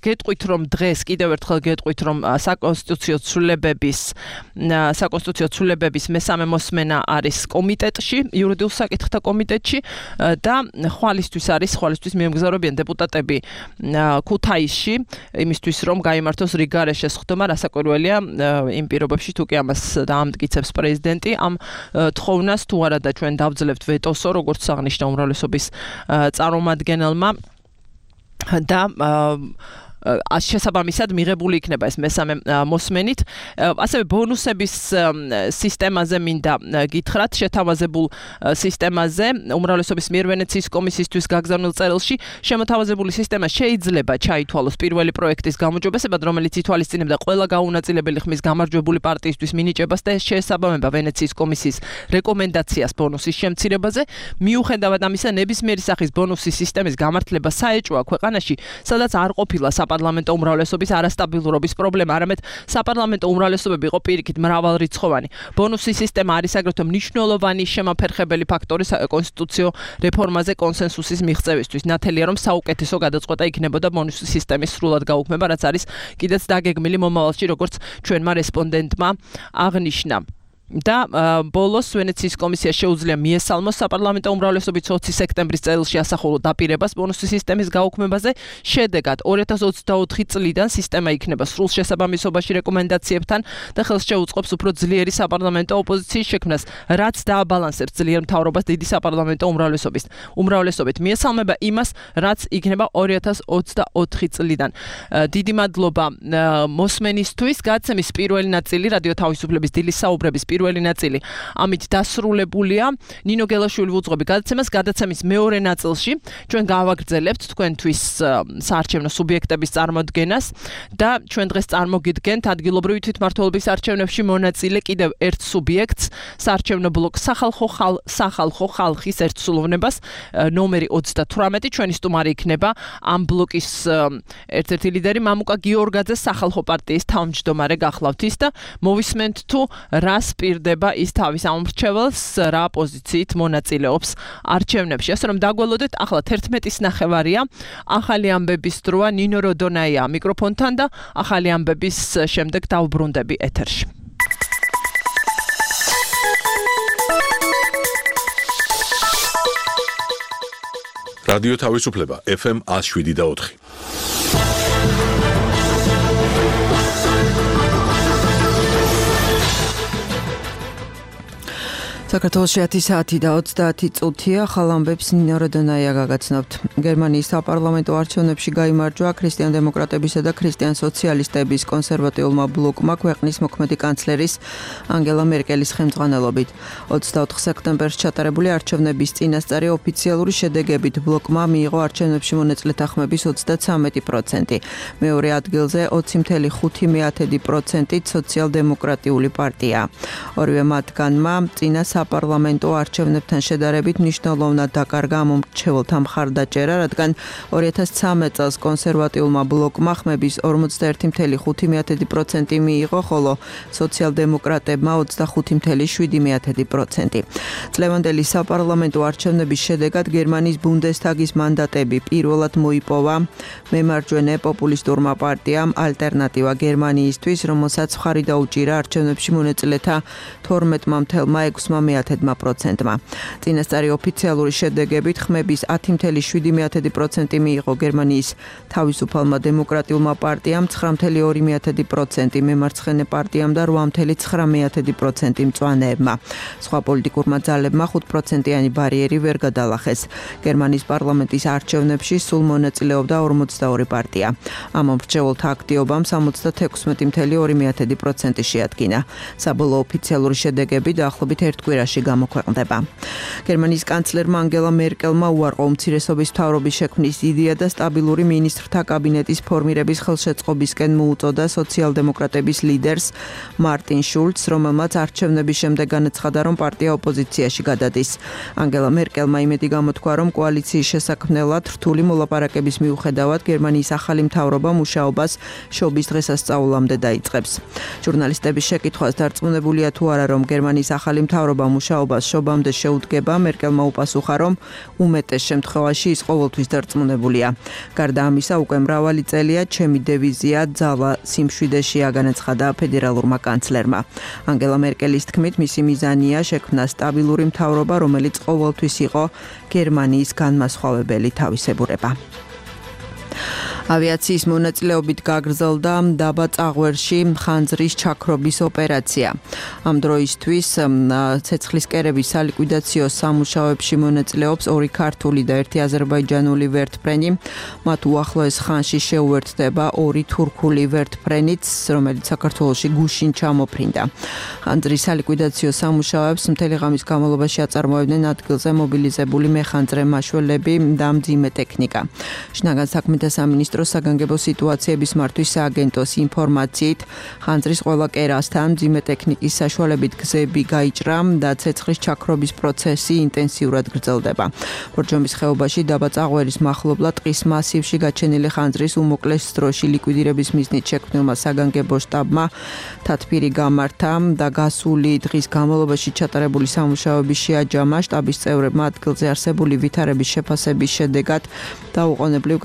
გეტყვით, რომ დღეს კიდევ ერთხელ გეტყვით, რომ საკონსტიტუციო ცვლილებების საკონსტიტუციო ცვლილებების მესამე მოსმენა არის კომიტეტში, იურიდიულ საკითხთა კომიტეტში და ხვალისთვის არის, ხვალისთვის მიემგზავრებიან დეპუტატები ქუთაისში, იმისთვის რომ გაიმართოს რიგარეშეს ხდომა, რასაკვირველია იმ პირობებში, თუ კი ამას დაამტკიცებს პრეზიდენტი, ამ თხოვნას თუ არა და ჩვენ დავძლებთ ვეტოსო, როგორც აღნიშნა უმრავლესობის წარმომადგენელმა და შესაბამისად მიღებული იქნება ეს მესამე მოსმენით. ასევე ბონუსების სისტემაზე მინდა გითხრათ, შეთავაზებულ სისტემაზე უმრავლესობის მიერ ვენეციის კომისიისთვის გაგზავნილ წერილში შემოთავაზებული სისტემა შეიძლება ჩაითვალოს პირველი პროექტის გამოჯობესებად, რომელიც ითვალისწინებდა ყველა გაუნაწილებელი ხმის გამარჯვებული პარტიისთვის მინიჭებას და ეს შეესაბამება ვენეციის კომისიის რეკომენდაციას ბონუსის შემცირებაზე. მიუხედავად ამისა, ნებისმიერი სახის ბონუსის სისტემის გამართლება საეჭვოა ქვეყანაში, სადაც არ ყოფილა საპარლამენტო უმრავლესობის არასტაბილურობის პრობლემა, არამედ საპარლამენტო უმრავლესობები იყო პირიქით მრავალრიცხოვანი. ბონუსის სისტემა არის აგრეთვე მნიშვნელოვანი შემაფერხებელი ფაქტორი კონსტიტუციო რეფორმაზე კონსენსუსის მიღწევისთვის. ნათელია, რომ საუკეთესო გადაწყვეტა იქნებოდა ბონუსის სისტემის სრულად გაუქმება, რაც არის კიდეც დაგეგმილი მომავალში, როგორც ჩვენმა რესპონდენტმა აღნიშნა. და ბოლოს ვენეციის კომისია შეუძლია მიესალმოს საპარლამენტო უმრავლესობის ოცი სექტემბრის წელში ასახულო დაპირებას ბონუსის სისტემის გაუქმებაზე. შედეგად ორი ათას ოცდაოთხი წლიდან სისტემა იქნება სრულ შესაბამისობაში რეკომენდაციებთან და ხელს შეუწყობს უფრო ძლიერი საპარლამენტო ოპოზიციის შექმნას, რაც დააბალანსებს ძლიერ მთავრობას დიდი საპარლამენტო უმრავლესობის უმრავლესობით. მიესალმება იმას, რაც იქნება ორი ათას ოცდაოთხი წლიდან. დიდი მადლობა მოსმენისთვის. გადაცემის პირველი ნაწილი რადიო თავისუფლების დილის საუბრების პირველი ნაწილი ამით დასრულებულია. ნინო გელაშვილი ვუძღვები გადაცემას. გადაცემის მეორე ნაწილში ჩვენ გავაგრძელებთ თქვენთვის საარჩევნო სუბიექტების წარმოდგენას და ჩვენ დღეს წარმოგიდგენთ ადგილობრივი თვითმმართველობის არჩევნებში მონაწილე კიდევ ერთ სუბიექტს, საარჩევნო ბლოკ სახალხო ხალ სახალხო ხალხის ერთსულოვნებას, ნომერი ოცდათვრამეტი. ჩვენი სტუმარი იქნება ამ ბლოკის ერთ-ერთი ლიდერი მამუკა გიორგაძე, სახალხო პარტიის თავმჯდომარე გახლავთ ის და მოვისმენთ თუ რას პირდება ის თავის ამორჩეველს, რა პოზიციით მონაწილეობს არჩევნებში. ასე რომ დაგველოდეთ, ახლა თერთმეტის ნახევარია, ახალი ამბების დროა. ნინო როდონაია მიკროფონთან და ახალი ამბების შემდეგ დავბრუნდები ეთერში. რადიო თავისუფლება ეფ ემ ათს შვიდი და ოთხი. საქართველოში ათი საათი და ოცდაათი წუთია. ახალ ამბებს ნინო როდონაია გაგაცნობთ. გერმანიის საპარლამენტო არჩევნებში გაიმარჯვა ქრისტიან-დემოკრატებისა და ქრისტიან-სოციალისტების კონსერვატიულმა ბლოკმა ქვეყნის მოქმედი კანცლერის ანგელა მერკელის ხელმძღვანელობით. ოცდაოთხ სექტემბერს ჩატარებული არჩევნების წინასწარი ოფიციალური შედეგებით ბლოკმა მიიღო არჩევნებში მონაწილეთა ხმების ოცდაცამეტი პროცენტი. მეორე ადგილზე ოცი კoma ხუთი პროცენტით სოციალ-დემოკრატიული პარტია. ორივე მათგანმა წინა საპარლამენტო არჩევნებთან შედარებით მნიშვნელოვნად დაკარგა ამომრჩეველთა მხარდაჭერა, რადგან ორი ათას ცხრამეტ წელს კონსერვატიულმა ბლოკმა ხმების ორმოცდაერთი კoma ხუთი პროცენტი მიიღო, ხოლო სოციალ-დემოკრატებმა ოცდახუთი კoma შვიდი პროცენტი. წლევანდელი საპარლამენტო არჩევნების შედეგად გერმანიის ბუნდესტაგის მანდატები პირველად მოიპოვა მემარჯვენე პოპულისტურმა პარტიამ ალტერნატივა გერმანიისთვის, რომელსაც მხარი დაუჭირა არჩევნებში მონაწილეთა თორმეტ კoma ექვსი პროცენტმა. წინასწარი ოფიციალური შედეგებით ხმების ათი კoma შვიდი პროცენტი მიიღო გერმანიის თავისუფალმა დემოკრატიულმა პარტიამ, ცხრა კoma ორი პროცენტი მემარცხენე პარტიამ და რვა კoma ცხრა პროცენტი მწვანეებმა. სხვა პოლიტიკურმა ძალებმა ხუთ პროცენტიანი ბარიერი ვერ გადალახეს. გერმანიის პარლამენტის არჩევნებში სულ მონაწილეობდა ორმოცდაორი პარტია. ამომრჩეველთა აქტივობამ სამოცდათექვსმეტი კoma ორი პროცენტი შეადგინა. საბოლოო ოფიციალური შედეგები დაახლოებით ერთ კვირაში გამოქვეყნდება. გერმანიის კანცლერმა ანგელა მერკელმა უარყო უმცირესობის მთავრობის შექმნის იდეა და სტაბილური მინისტრთა კაბინეტის ფორმირების ხელშეწყობისკენ მოუწოდა სოციალ-დემოკრატების ლიდერს მარტინ შულცს, რომელმაც არჩევნების შემდეგ განაცხადა, რომ პარტია ოპოზიციაში გადადის. ანგელა მერკელმა იმედი გამოთქვა, რომ კოალიციის შესაქმნელად რთული მოლაპარაკების მიუხედავად გერმანიის ახალი მთავრობა მუშაობას შობის დღესასწაულამდე დაიწყებს. ჟურნალისტების შეკითხვას დარწმუნებულია თუ არა, რომ გერმანიის ახალი მთავრობა მუშაობას შობამდე შეუდგება, მერკელმა უპასუხა, რომ უმეტეს შემთხვევაში ის ყოველთვის დარწმუნებულია. გარდა ამისა, უკვე მრავალი წელია ჩემი დევიზია ძალა სიმშვიდეშია, განაცხადა ფედერალურმა კანცლერმა. ანგელა მერკელის თქმით, მისი მიზანია შექმნა სტაბილური მთავრობა, რომელიც ყოველთვის იყო გერმანიის განმასხვავებელი თავისებურება. ავიაციის მონაწილეობით გაგრძელდა დაბა წაღვერში ხანძრის ჩაქრობის ოპერაცია. ამ დროისთვის ცეცხლის კერების სალიკვიდაციო სამუშაოებში მონაწილეობს ორი ქართული და ერთი აზერბაიჯანული ვერტმფრენი. მათ უახლოეს ხანში შეუერთდება ორი თურქული ვერტმფრენიც, რომელიც საქართველოში გუშინ ჩამოფრინდა. ხანძრის სალიკვიდაციო სამუშაოებს მთელი ღამის განმავლობაში აწარმოებდნენ ადგილზე მობილიზებული მეხანძრე მაშველები და მძიმე ტექნიკა. შინაგან საქმეთა სამინისტროს სამინისტროს საგანგებო სიტუაციების მართვის სააგენტოს ინფორმაციით, ხანძრის ყველა კერასთან მძიმე ტექნიკის საშუალებით გზები გაიჭრა და ცეცხლის ჩაქრობის პროცესი ინტენსიურად გრძელდება. ბორჯომის ხეობაში დაბა წაღვერის მახლობლად ტყის მასივში გაჩენილი ხანძრის უმოკლეს დროში ლიკვიდირების მიზნით შექმნილმა საგანგებო შტაბმა თათბირი გამართა და გასული დღის განმავლობაში ჩატარებული სამუშაოების შეაჯამა. შტაბის წევრებმა ადგილზე არსებული ვითარების შეფასების შედეგად დაუყოვნებლივ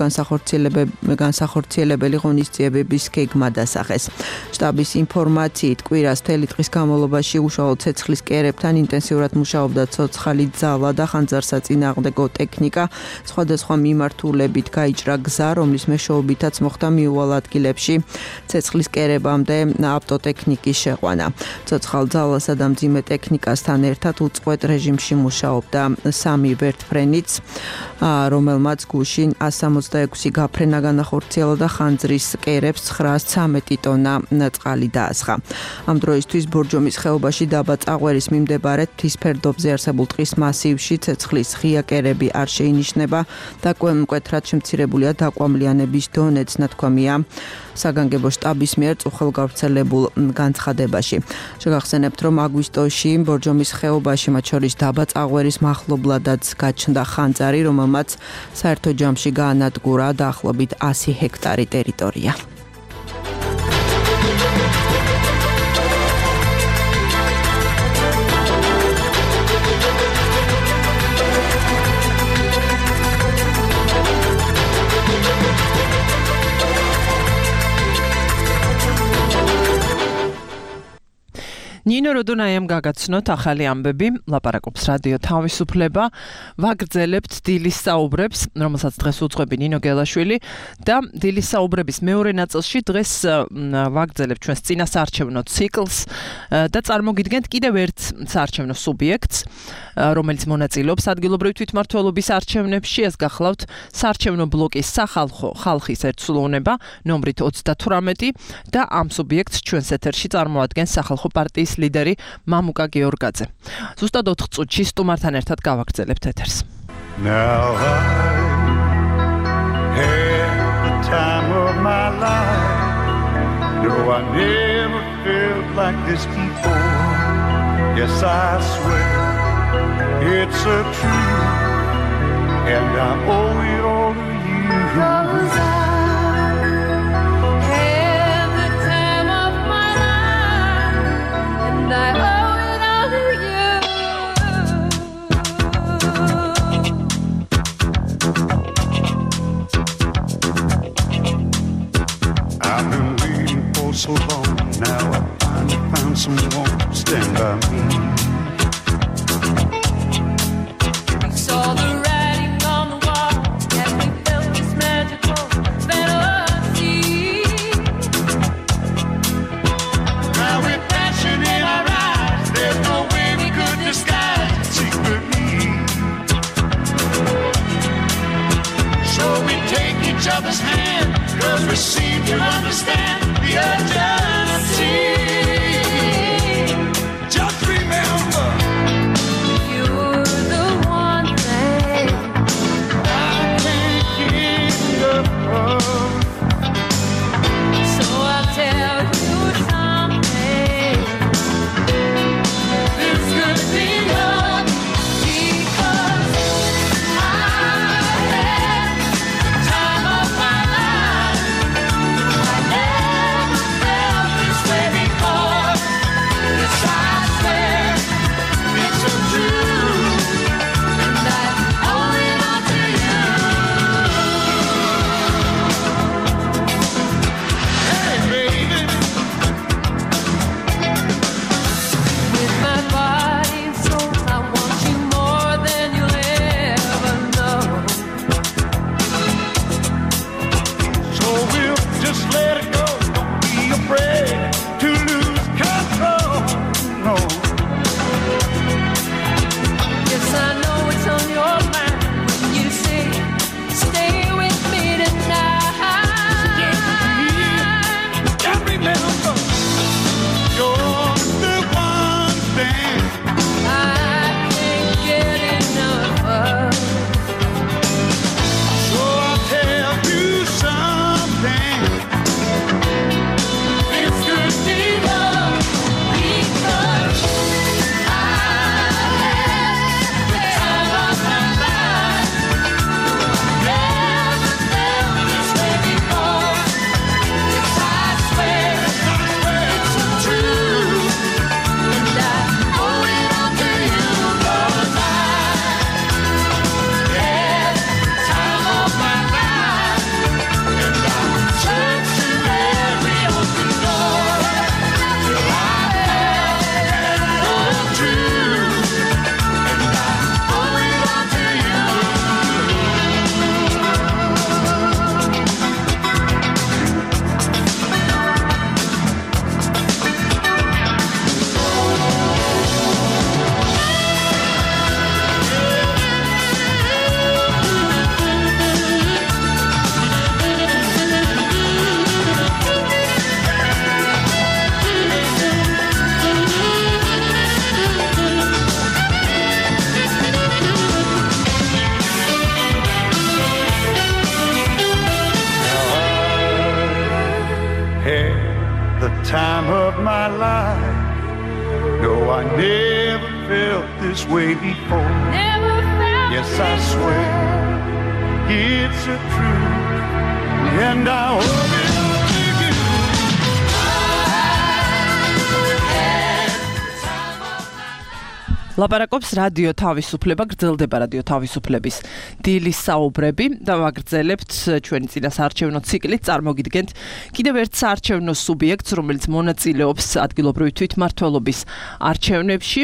განსახორციელებელი ღონისძიებების გეგმა დასახეს. შტაბის ინფორმაციით, კვირას მთელი დღის განმავლობაში უშუალო ცეცხლის კერებთან ინტენსიურად მუშაობდა ცოცხალი ძალა და ხანძარსაწინააღმდეგო ტექნიკა. სხვადასხვა მიმართულებით გაიჭრა გზა, რომლის მეშვეობითაც მოხდა მიუვალ ადგილებში ცეცხლის კერებამდე ავტოტექნიკის შეყვანა. ცოცხალ ძალასა და მძიმე ტექნიკასთან ერთად უწყვეტ რეჟიმში მუშაობდა სამი ვერტფრენიც, რომელმაც გუშინ ას სამოცდაექვსი გაფრენა განახორციელა და ხანძრის კერებს ცხრაას ცამეტი ტონა წყალი დაასხა. ამ დროისთვის ბორჯომის ხეობაში დაბა წაღვერის მიმდებარედ მთის ფერდობზე არსებულ ტყის მასივში ცეცხლის ღია კერები არ შეინიშნება და მკვეთრად შემცირებულია დაკვამლიანების დონეც, ნათქვამია საგანგებო შტაბის მიერ წუხელ გავრცელებულ განცხადებაში. შეგახსენებთ, რომ აგვისტოში ბორჯომის ხეობაში, მათ შორის დაბა წაღვერის მახლობლადაც გაჩნდა ხანძარი, რომელმაც საერთო ჯამში გაანადგურა დაახლოებით ასი ჰექტარი ტერიტორია. ნინო როდონაიამ გაგაცნოთ ახალი ამბები, ლაპარაკობს რადიო თავისუფლება, ვაგრძელებთ დილის საუბრებს, რომელსაც დღეს უძღვები ნინო გელაშვილი და დილის საუბრების მეორე ნაწილში დღეს ვაგრძელებთ ჩვენს წინასაარჩევნო ციკლს და წარმოგიდგენთ კიდევ ერთ საარჩევნო სუბიექტს, რომელიც მონაწილეობს ადგილობრივი თვითმმართველობის არჩევნებში. ეს გახლავთ საარჩევნო ბლოკის სახალხო ხალხის ერთსულოვნება ნომრით ოცდათვრამეტი და ამ სუბიექტს ჩვენს ეთერში წარმოადგენს სახალხო პარტიის ლიდერი მამუკა გეორგაძე. ზუსტად ოთხ წუთში სტუმართან ერთად გავაგრძელებთ ეთერს. Now I had the time of my life. No, I never felt like this before. Yes, I swear it's a truth, and I owe it all to you. Cause I had the time of my life, and I owe it all to you. I've been waiting for so long. Now I finally found someone to stand by me. Saw the writing on the wall, and we felt this magical fantasy. Now with passion in our eyes, there's no way we could disguise it secretly. So we take each other's hand, cause we seem to understand the urgency. Just remember I never felt this way before. Never felt yes, I swear it's a truth, and I hope it. ლაპარაკობს რადიო თავისუფლება, გრძელდება რადიო თავისუფლების დილის საუბრები და ვაგრძელებთ ჩვენი წინასაარჩევნო ციკლით, წარმოგიდგენთ კიდევ ერთ საარჩევნო სუბიექტს, რომელიც მონაწილეობს ადგილობრივი თვითმმართველობის არჩევნებში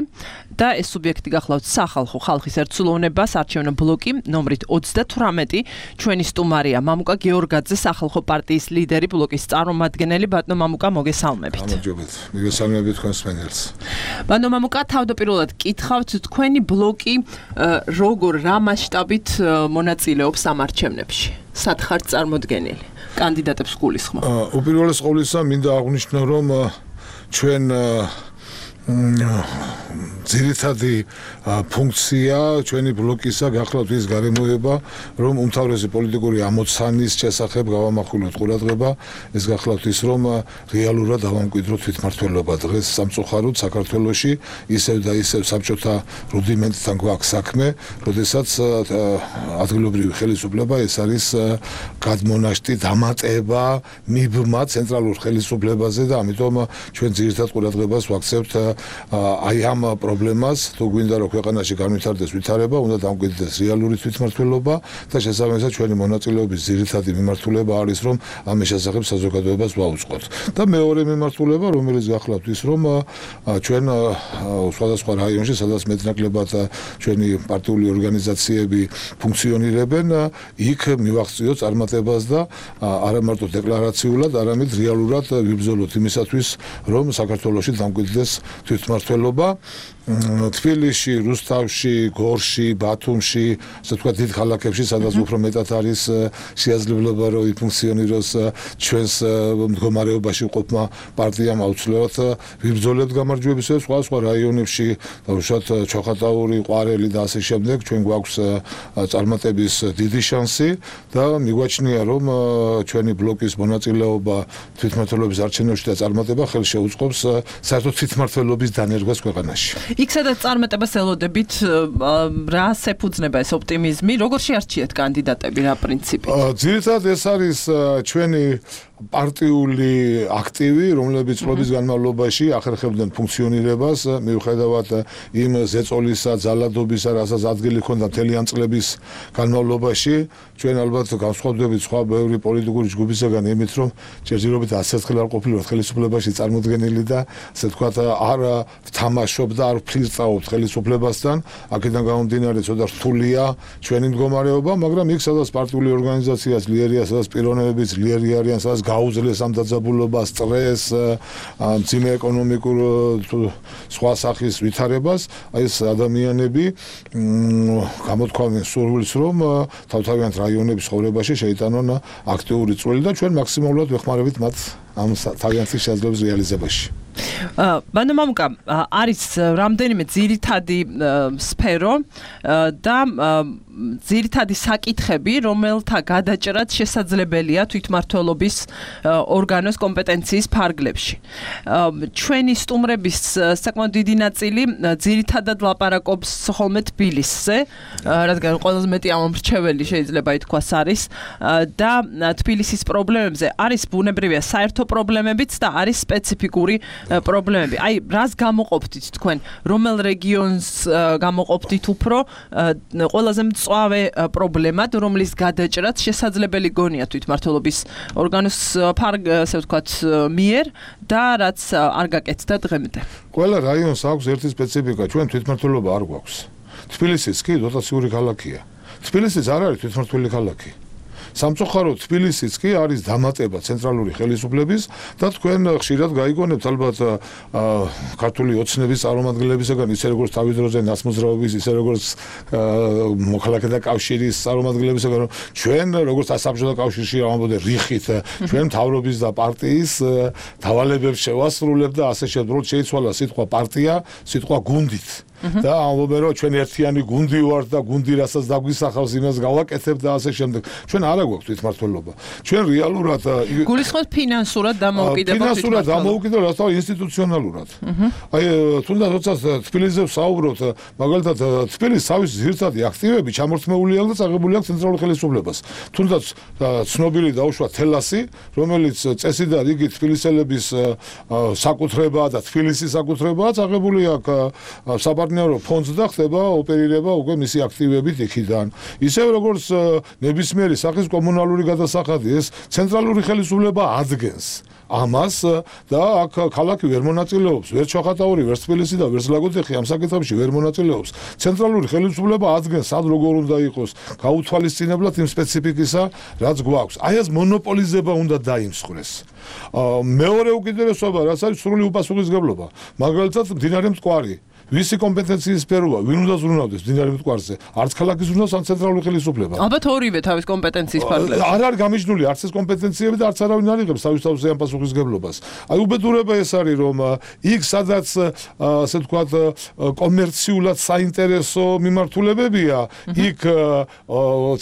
და ეს სუბიექტი გახლავთ სახალხო ხალხის ერთსულოვნება, საარჩევნო ბლოკი ნომრით ოცდათვრამეტი. ჩვენი სტუმარია მამუკა გეორგაძე, სახალხო პარტიის ლიდერი, ბლოკის წარმომადგენელი. ბატონო მამუკა, მოგესალმებით. გამარჯობეთ. მოგესალმებით თქვენს მენელს. ბატონო მამუკა, თავდაპირველად კითხავთ, თქვენი ბლოკი როგორ რა მასშტაბით მონაწილეობს ამ არჩევნებში? სად ხართ წარმოდგენილი? კანდიდატებს გულისხმობ. უპირველეს ყოვლისა მინდა აღვნიშნო, რომ ჩვენ ძირითადი ფუნქცია ჩვენი ბლოკისა გახლავთ ის გარემოება, რომ უმთავრესი პოლიტიკური ამოცანის შესახებ გავამახვილოთ ყურადღება, ეს გახლავთ ის, რომ რეალურად დავამკვიდროთ თვითმმართველობა დღეს სამწუხაროდ საქართველოში ისევ და ისევ საბჭოთა რუდიმენტთან გვაქვს საქმე, როდესაც ადგილობრივი ხელისუფლება ეს არის გადმონაშტი დამატება მიბმა ცენტრალურ ხელისუფლებაზე და ამიტომ ჩვენ ძირითად ყურადღებას ვაქცევთ აი ამ პრობლემას, თუ გვინდა რომ ქვეყანაში განვითარდეს ვითარება, უნდა დამკვიდრდეს რეალური თვითმმართველობა და შესაბამისად ჩვენი მონაწილეობის ძირითადი მიმართულება არის, რომ ამის შესახებ საზოგადოებას ვაუწყოთ. და მეორე მიმართულება, რომელიც გახლავთ ის, რომ ჩვენ სხვადასხვა რაიონში, სადაც მეტნაკლებად ჩვენი პარტიული ორგანიზაციები ფუნქციონირებენ, იქ მივახციოთ წარმატებას და არა მარტო დეკლარაციულად, არამედ რეალურად ვიბრძოლოთ იმისათვის, რომ საქართველოში დამკვიდრდეს თვითმმართველობა. თბილისში, რუსთავში, გორში, ბათუმში, ასე ვთქვათ, დიდ ქალაქებში, სადაც უფრო მეტად არის შეაძლებლობა, რომ იფუნქციონიროს ჩვენს მდგომარეობაში მყოფმა პარტიამ აუცილებლად ვიბრძოლებთ გამარჯვებისას, სხვა სხვა რაიონებში, დაუშვათ ჩოხატაური, ყვარელი და ასე შემდეგ, ჩვენ გვაქვს წარმატების დიდი შანსი და მიგვაჩნია, რომ ჩვენი ბლოკის მონაწილეობა თვითმმართველობის არჩევნებში და წარმატება ხელს შეუწყობს საერთოდ თვითმმართველობის დანერგვას ქვეყანაში. იქ სადაც წარმატებას ელოდებით, რას ეფუძნება ეს ოპტიმიზმი? როგორ შეარჩიეთ კანდიდატები, რა პრინციპით? ძირითადად ეს არის ჩვენი პარტიული აქტივი, რომლებიც წლების განმავლობაში ახერხებდნენ ფუნქციონირებას, მიუხედავად იმ ზეწოლისა, ძალადობისა, რასაც ადგილი ჰქონდა მთელი ამ წლების განმავლობაში, ჩვენ ალბათ განსხვავდებით სხვა ბევრი პოლიტიკური ჯგუფისგან იმით, რომ ჯერჯერობით ასეთ ხელ არ ყოფილიყავთ ხელისუფლებაში წარმოდგენილი და ასე ვთქვათ, არ ვთამაშობ და არ ვფლირტავობთ ხელისუფლებასთან, აქედან გამომდინარე ცოტა რთულია ჩვენი მდგომარეობა, მაგრამ იქ სადაც პარტიული ორგანიზაცია ძლიერია, სადაც პიროვნებები ძლიერი არიან, სადაც გაუძლეს ამ დაძაბულობას, სტრესს, მძიმე ეკონომიკურ სხვა სახის ვითარებას, აი ეს ადამიანები გამოთქვამენ სურვილს, რომ თავთავიანთ რაიონების ცხოვრებაში შეიტანონ აქტიური წვლილი და ჩვენ მაქსიმალურად ვეხმარებით მათ ამ თავიანთი შესაძლებლობის რეალიზებაში. ბატონო მამუკა, არის რამდენიმე ძირითადი სფერო და ძირითადი საკითხები, რომელთა გადაჭრაც შესაძლებელია თვითმმართველობის ორგანოს კომპეტენციის ფარგლებში. ჩვენი სტუმრების საკმაოდ დიდი ნაწილი ძირითადად ლაპარაკობს ხოლმე თბილისზე, რადგან ყველაზე მეტი ამომრჩეველი შეიძლება ითქვას არის და თბილისის პრობლემებზე არის ბუნებრივია საერთო პრობლემებიც და არის სპეციფიკური პრობლემები. აი, რას გამოყოფდით თქვენ? რომელ რეგიონს გამოყოფდით უფრო ყველაზე მწვავე პრობლემად, რომლის გადაჭრაც შესაძლებელი გონია თვითმმართველობის ორგანოს ასე ვთქვათ მიერ და რაც არ გაკეთდა დღემდე? ყველა რაიონს აქვს ერთი სპეციფიკა, ჩვენ თვითმმართველობა არ გვაქვს. თბილისიც კი დოტაციური ქალაქია. თბილისიც არ არის თვითმმართველი ქალაქი. სამწუხაროდ თბილისიც კი არის დამატება ცენტრალური ხელისუფლების და თქვენ ხშირად გაიგონებთ ალბათ ქართული ოცნების წარმომადგენლებისგან, ისე როგორც თავის დროზე ნაცმოძრაობის, ისე როგორც მოქალაქეთა კავშირის წარმომადგენლებისგან, რომ ჩვენ როგორც საბჭოთა კავშირში ამბობდნენ რიხით, ჩვენ მთავრობის და პარტიის დავალებებს შევასრულებთ და ასე შემდეგ შეიცვალა სიტყვა პარტია სიტყვა გუნდით. და ამბობენ რომ ჩვენ ერთიანი გუნდი ვართ და გუნდი რასაც დაგვისახავს იმას გავაკეთებ და ასე შემდეგ. ჩვენ არ აგვაქვს თვითმმართველობა. ჩვენ რეალურად გულისხმობთ ფინანსურად დამოუკიდებელ ფინანსურად დამოუკიდებელ რათა ინსტიტუციონალურად. აი თუნდაც როცა თბილისზე ვსაუბრობთ, მაგალითად თბილისის თავის ძირითადი აქტივები ჩამორთმეული აქვს და წაღებული აქვს ცენტრალურ ხელისუფლებას. თუნდაც ცნობილი დაუშვა თელასი, რომელიც წესი და რიგი თბილისელების საკუთრებაა და თბილისის საკუთრებაა, წაღებული აქვს საპარტნიორო ფონდს და ხდება ოპერირება უკვე მისი აქტივებით იქიდან. ისევ როგორც ნებისმიერი სახის კომუნალური გადასახადი ეს ცენტრალური ხელისუფლება ადგენს ამას და აქ ქალაქი ვერ მონაწილეობს, ვერ ჩოხატაური, ვერ თბილისი და ვერ ზლაგოდეხი ამ საკითხებში ვერ მონაწილეობს. ცენტრალური ხელისუფლება ადგენს სად როგორ უნდა იყოს გაუთვალისწინებლად იმ სპეციფიკისა, რაც გვაქვს. აი ეს მონოპოლიზება უნდა დაიმსხვრეს. მეორე უკიდურესობა, რაც არის სრული უპასუხისმგებლობა. მაგალითად, მდინარე მტკვარი ვისი კომპეტენციის სფეროა, ვინ უნდა ზრუნავდეს მდინარე მტკვარზე? არც ქალაქის ზრუნავს, ან ცენტრალური ხელისუფლება. ალბათ ორივე თავის კომპეტენციის ფარგლებში. არ არის გამიჯნული არც ეს კომპეტენციები და არც არავინ არ იღებს თავის თავზე ამ პასუხისმგებლობას. აი უბედურება ეს არის, რომ იქ სადაც ასე ვთქვათ კომერციულად საინტერესო მიმართულებებია, იქ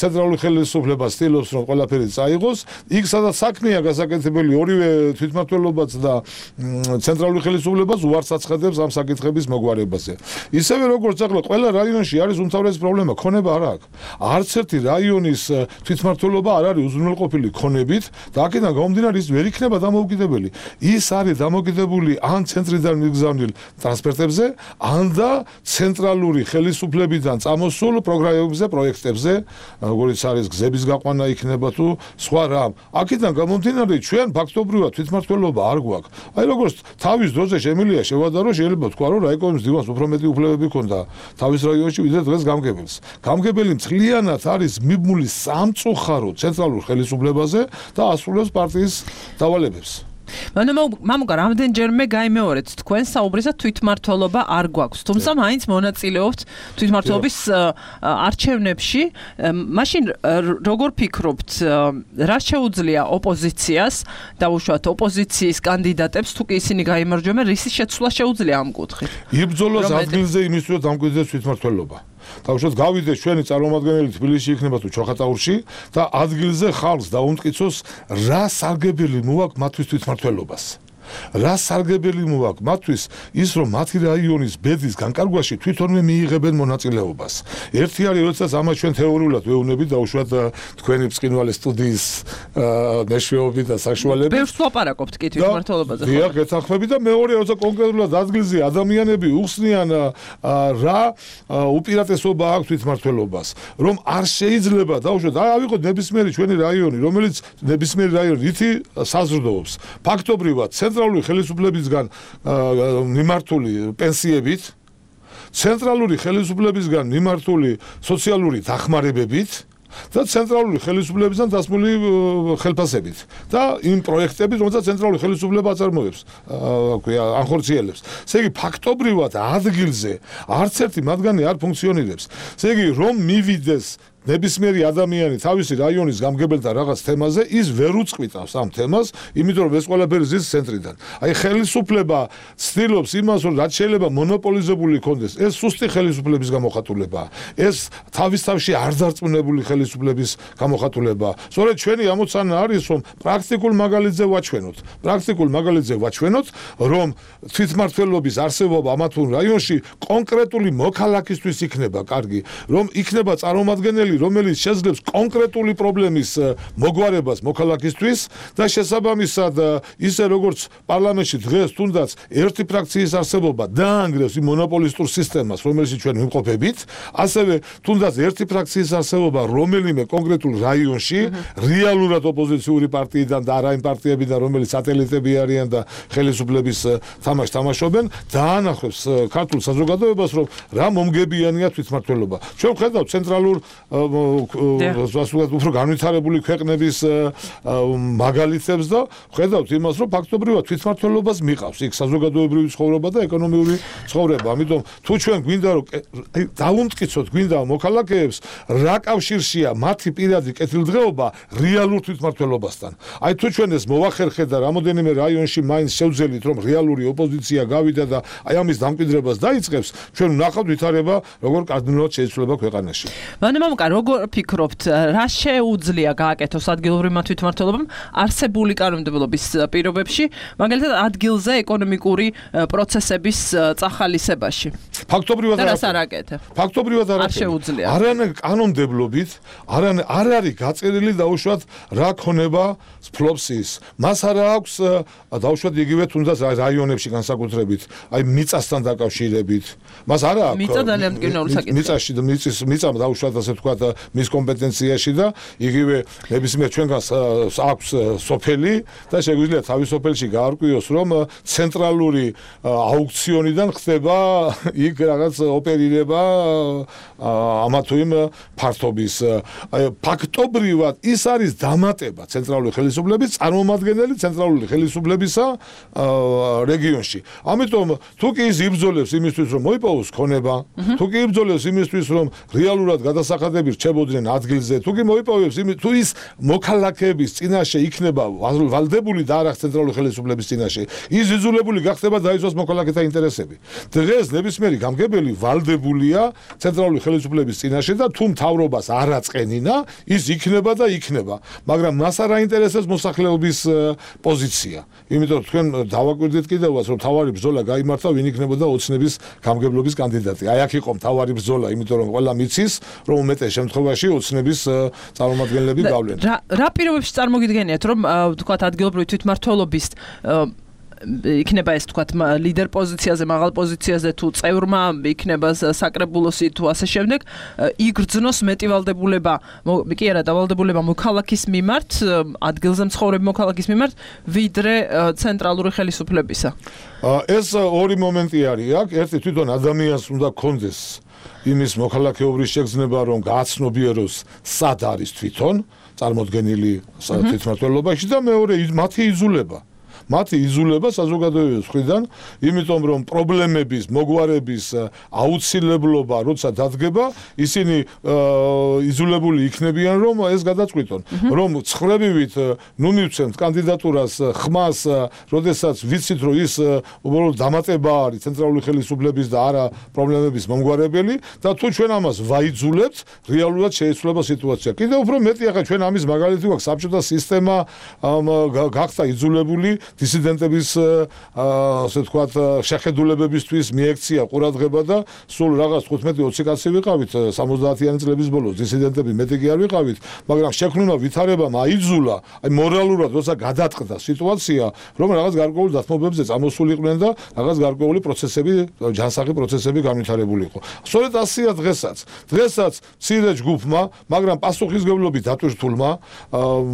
ცენტრალური ხელისუფლება ცდილობს რომ ყველაფერი წაიღოს, იქ სადაც საქმეა გასაკეთებელი ორივე თვითმმართველობაც და ცენტრალური ხელისუფლებას უარს აცხადებს ამ საკითხების მოგვარება. ისევე როგორც ახლა ყველა რაიონში არის უმთავრესი პრობლემა, ქონება არ აქვს. არც ერთი რაიონის თვითმმართველობა არ არის უზრუნველყოფილი ქონებით და აქედან გამომდინარე ის ვერ იქნება დამოუკიდებელი. ის არის დამოუკიდებელი ან ცენტრიდან მიგზავნილ ტრანსპორტებზე, ან და ცენტრალური ხელისუფლებიდან წამოსულ პროგრამებზე, პროექტებზე, როგორც არის გზების გაყვანა იქნება თუ სხვა რამ. აქედან გამომდინარე ჩვენ ფაქტობრივად თვითმმართველობა არ გვაქვს. აი როგორც თავის დროზე შემიძლია შევადარო, შეიძლება თქვა რომ რაიკომის დივანს უფრო მეტი უფლებები ჰქონდა თავის რაიონში ვიდრე დღეს გამგებელს. გამგებელი მთლიანად არის მიბმული სამწუხაროდ ცენტრალურ ხელისუფლებაზე და ასრულებს პარტიის დავალებებს. მამუკა, რამდენჯერმე გაიმეორეთ თქვენ საუბრისა თვითმმართველობა არ გვაქვს, თუმცა მაინც მონაწილეობთ თვითმმართველობის არჩევნებში. მაშინ როგორ ფიქრობთ, რა შეუძლია ოპოზიციას დაუშვათ ოპოზიციის კანდიდატებს, თუ კი ისინი გაიმარჯვებენ, რისი შეცვლა შეუძლია ამ კუთხით? იბრძოლოს ადგილზე იმისათვის დამკვიდრდეს თვითმმართველობა. თავშოთ გავიდეს ჩვენი წარმომადგენელი თბილისში იქნება თუ ჩოხატაურში და ადგილზე ხალხს დაუმტკიცოს რა სარგებელი მოაქვს მათთვის თვითმმართველობას. რა სარგებელი მოაქვს მათთვის ის რომ მათი რაიონის ბედის განკარგვაში თვითონვე მიიღებენ მონაწილეობას. ერთი არის როდესაც ამას ჩვენ თეორიულად ვეუბნებით დაუშვათ თქვენი ბრწყინვალე სტუდიის მეშვეობით და საშუალებით. ბევრს ვაპარაკობთ კი თვითმმართველობაზე. დიახ, გეთანხმები და მეორე როცა კონკრეტულად ადგილზე ადამიანები უხსნიან რა უპირატესობა აქვს თვითმმართველობას, რომ არ შეიძლება დაუშვათ აი ავიღოთ ნებისმიერი ჩვენი რაიონი, რომელიც ნებისმიერი რაიონი ითი საზრდოობს. ფაქტობრივად ცენტრალური ხელისუფლებისგან მიმართული პენსიებით, ცენტრალური ხელისუფლებისგან მიმართული სოციალური დახმარებებით და ცენტრალური ხელისუფლებისგან დასმული ხელფასებით და იმ პროექტებით, რომელსაც ცენტრალური ხელისუფლება აწარმოებს, აკვია, ანხორციელებს. ესე იგი, ფაქტობრივად ადგილზე არც ერთი მათგანი არ ფუნქციონირებს. ესე იგი, რომ მივიდეს ნებისმიერი ადამიანი თავისი რაიონის გამგებელთა რაღაც თემაზე, ის ვერ უწყვიტავს ამ თემას, იმიტომ რომ ეს ყველაფერი ზის ცენტრიდან. აი ხელისუფლება ცდილობს იმას, რომ რაც შეიძლება მონოპოლიზებული იქონდეს, ეს სუსტი ხელისუფლების გამოხატულებაა. ეს თავის თავში არ დარწმუნებული ხელისუფლების გამოხატულებაა. სწორედ ჩვენი ამოცანა არის, რომ პრაქტიკულ მაგალითზე ვაჩვენოთ. პრაქტიკულ მაგალითზე ვაჩვენოთ, რომ თვითმმართველობის არსებობა ამა თუ რაიონში კონკრეტული მოქალაქისთვის იქნება კარგი, რომ იქნება წარმომადგენელი რომელიც შეძლებს კონკრეტული პრობლემის მოგვარებას მოქალაქისთვის და შესაბამისად ისე როგორც პარლამენტში დღეს თუნდაც ერთი ფრაქციის არსებობა დაანგრევს იმ მონოპოლისტურ სისტემას, რომელშიც ჩვენ ვიმყოფებით, ასევე თუნდაც ერთი ფრაქციის არსებობა რომელიმე კონკრეტულ რაიონში რეალურად ოპოზიციური პარტიიდან და არა იმ პარტიებიდან, რომელიც სატელიტები არიან და ხელისუფლების თამაშს თამაშობენ, დაანახებს ქართულ საზოგადოებას, რომ რა მომგებიანია თვითმმართველობა. ჩვენ ვხედავთ ცენტრალურ ასე უფრო განვითარებული ქვეყნების მაგალითებს და ხედავთ იმას, რომ ფაქტობრივად თვითმმართველობას მიყავს იქ საზოგადოებრივი ცხოვრება და ეკონომიური ცხოვრება. ამიტომ თუ ჩვენ გვინდა რომ დავუმტკიცოთ გვინდა მოქალაქეებს რა კავშირშია მათი პირადი კეთილდღეობა რეალურ თვითმმართველობასთან. აი თუ ჩვენ ეს მოვახერხეთ და რამოდენიმე რაიონში მაინც შევძელით რომ რეალური ოპოზიცია გავიდა და აი ამის დამკვიდრებას დაიწყებს, ჩვენ ვნახავთ ვითარება როგორ კარდინალურად შეიცვლება ქვეყანაში. მანემამკა, როგორ ფიქრობთ, რა შეუძლია გააკეთოს ადგილობრივმა თვითმმართველობამ არსებული კანონმდებლობის პირობებში, მაგალითად ადგილზე ეკონომიკური პროცესების წახალისებაში? ფაქტობრივად არ აკეთებ. ფაქტობრივად არ შეუძლია. არანაირ კანონმდებლობით არ არ არის გაწერილი დაუშვათ რა ქონება ფლობს ის. მას არ აქვს დაუშვათ იგივე თუნდაც რაიონებში განსაკუთრებით, აი მიწასთან დაკავშირებით. მას არ აქვს მიწა ძალიან მტკივნეული საკითხია. მიწაში და მიწის მიწა დაუშვათ ასე თქვა მის კომპეტენციაში და იგივე ნებისმიერ ჩვენგანს აქვს სოფელი და შეგვიძლია თავის სოფელში გაარკვიოს რომ ცენტრალური აუქციონიდან ხდება იქ რაღაც ოპერირება ამა თუ იმ ფართობის. ფაქტობრივად ის არის დამატება ცენტრალური ხელისუფლების წარმომადგენელი ცენტრალური ხელისუფლებისა რეგიონში. ამიტომ თუ კი ის იბრძოლებს იმისთვის რომ მოიპოვოს ქონება, თუ კი იბრძოლებს იმისთვის რომ რეალურად გადასახადები რჩებოდნენ ადგილზე, თუ კი მოიპოვებს იმ თუ ის მოქალაქეების წინაშე იქნება ვალდებული და არა ცენტრალური ხელისუფლების წინაშე, ის იზოლებული გახდება დაიცვას მოქალაქეთა ინტერესები. დღეს ნებისმიერი გამგებელი ვალდებულია ცენტრალური ხელისუფლების წინაშე და თუ მთავრობას არ აწყენინა, ის იქნება და იქნება. მაგრამ მას არ აინტერესებს მოსახლეობის პოზიცია. იმიტომ რომ თქვენ დავაკვირდით კიდევაც რომ თავარი ბრძოლა გაიმართა, ვინ იქნებოდა ოცნების გამგებლობის კანდიდატი. აი აქ იყო თავარი ბრძოლა, იმიტომ რომ ყველა მიცის, რომ უმეტეს შემთხვევაში ოცნების წარმომადგენლები გავლენ. რა რა პირობებში წარმოგიდგენიათ, რომ თქვათ ადგილობრივი თვითმმართველობის იქნება ეს თქვათ ლიდერ პოზიციაზე, მაღალ პოზიციაზე თუ წევრმა იქნება საკრებულოსი თუ ასე შემდეგ, იგრძნოს მეტი ვალდებულება, კი არა, დავალდებულება მოქალაქის მიმართ, ადგილზე მცხოვრები მოქალაქის მიმართ, ვიდრე ცენტრალური ხელისუფლებისა. ეს ორი მომენტი არის აქ, ერთი თვითონ ადამიანს უნდა კონდეს იმის მოქალაქეობის შეგრძნება, რომ გააცნობიეროს სად არის თვითონ წარმოდგენილი თვითმმართველობაში და მეორე მათი იზოლება. მათი იზოლება საზოგადოების მხრიდან, იმიტომ რომ პრობლემების მოგვარების აუცილებლობა როცა დადგება, ისინი იზოლებული იქნებიან, რომ ეს გადაწყვიტონ, რომ ცხრებივით ნუ მივცემთ კანდიდატურას ხმას, როდესაც ვიცით, რომ ის უბრალოდ დამატება არის ცენტრალური ხელისუფლების და არა პრობლემების მომგვარებელი და თუ ჩვენ ამას ვაიძულებთ, რეალურად შეიცვლება სიტუაცია. კიდევ უფრო მეტი ახლა ჩვენ ამის მაგალითი გვაქვს, საბჭოთა სისტემა გახდა იზოლებული დისიდენტების ასე ვთქვათ შეხედულებებისთვის მიექცია ყურადღება და სულ რაღაც თხუთმეტი ოცი კაცი ვიყავით სამოცდაათიანი წლების ბოლოს დისიდენტები მეტი კი არ ვიყავით, მაგრამ შექმნილმა ვითარებამ აიძულა, აი მორალურად როცა გადაწყდა სიტუაცია, რომ რაღაც გარკვეულ დათმობებზე წამოსულიყვნენ და რაღაც გარკვეული პროცესები, ჯანსაღი პროცესები განვითარებული იყო. სწორედ ასეა დღესაც. დღესაც მცირე ჯგუფმა, მაგრამ პასუხისმგებლობით დატვირთულმა,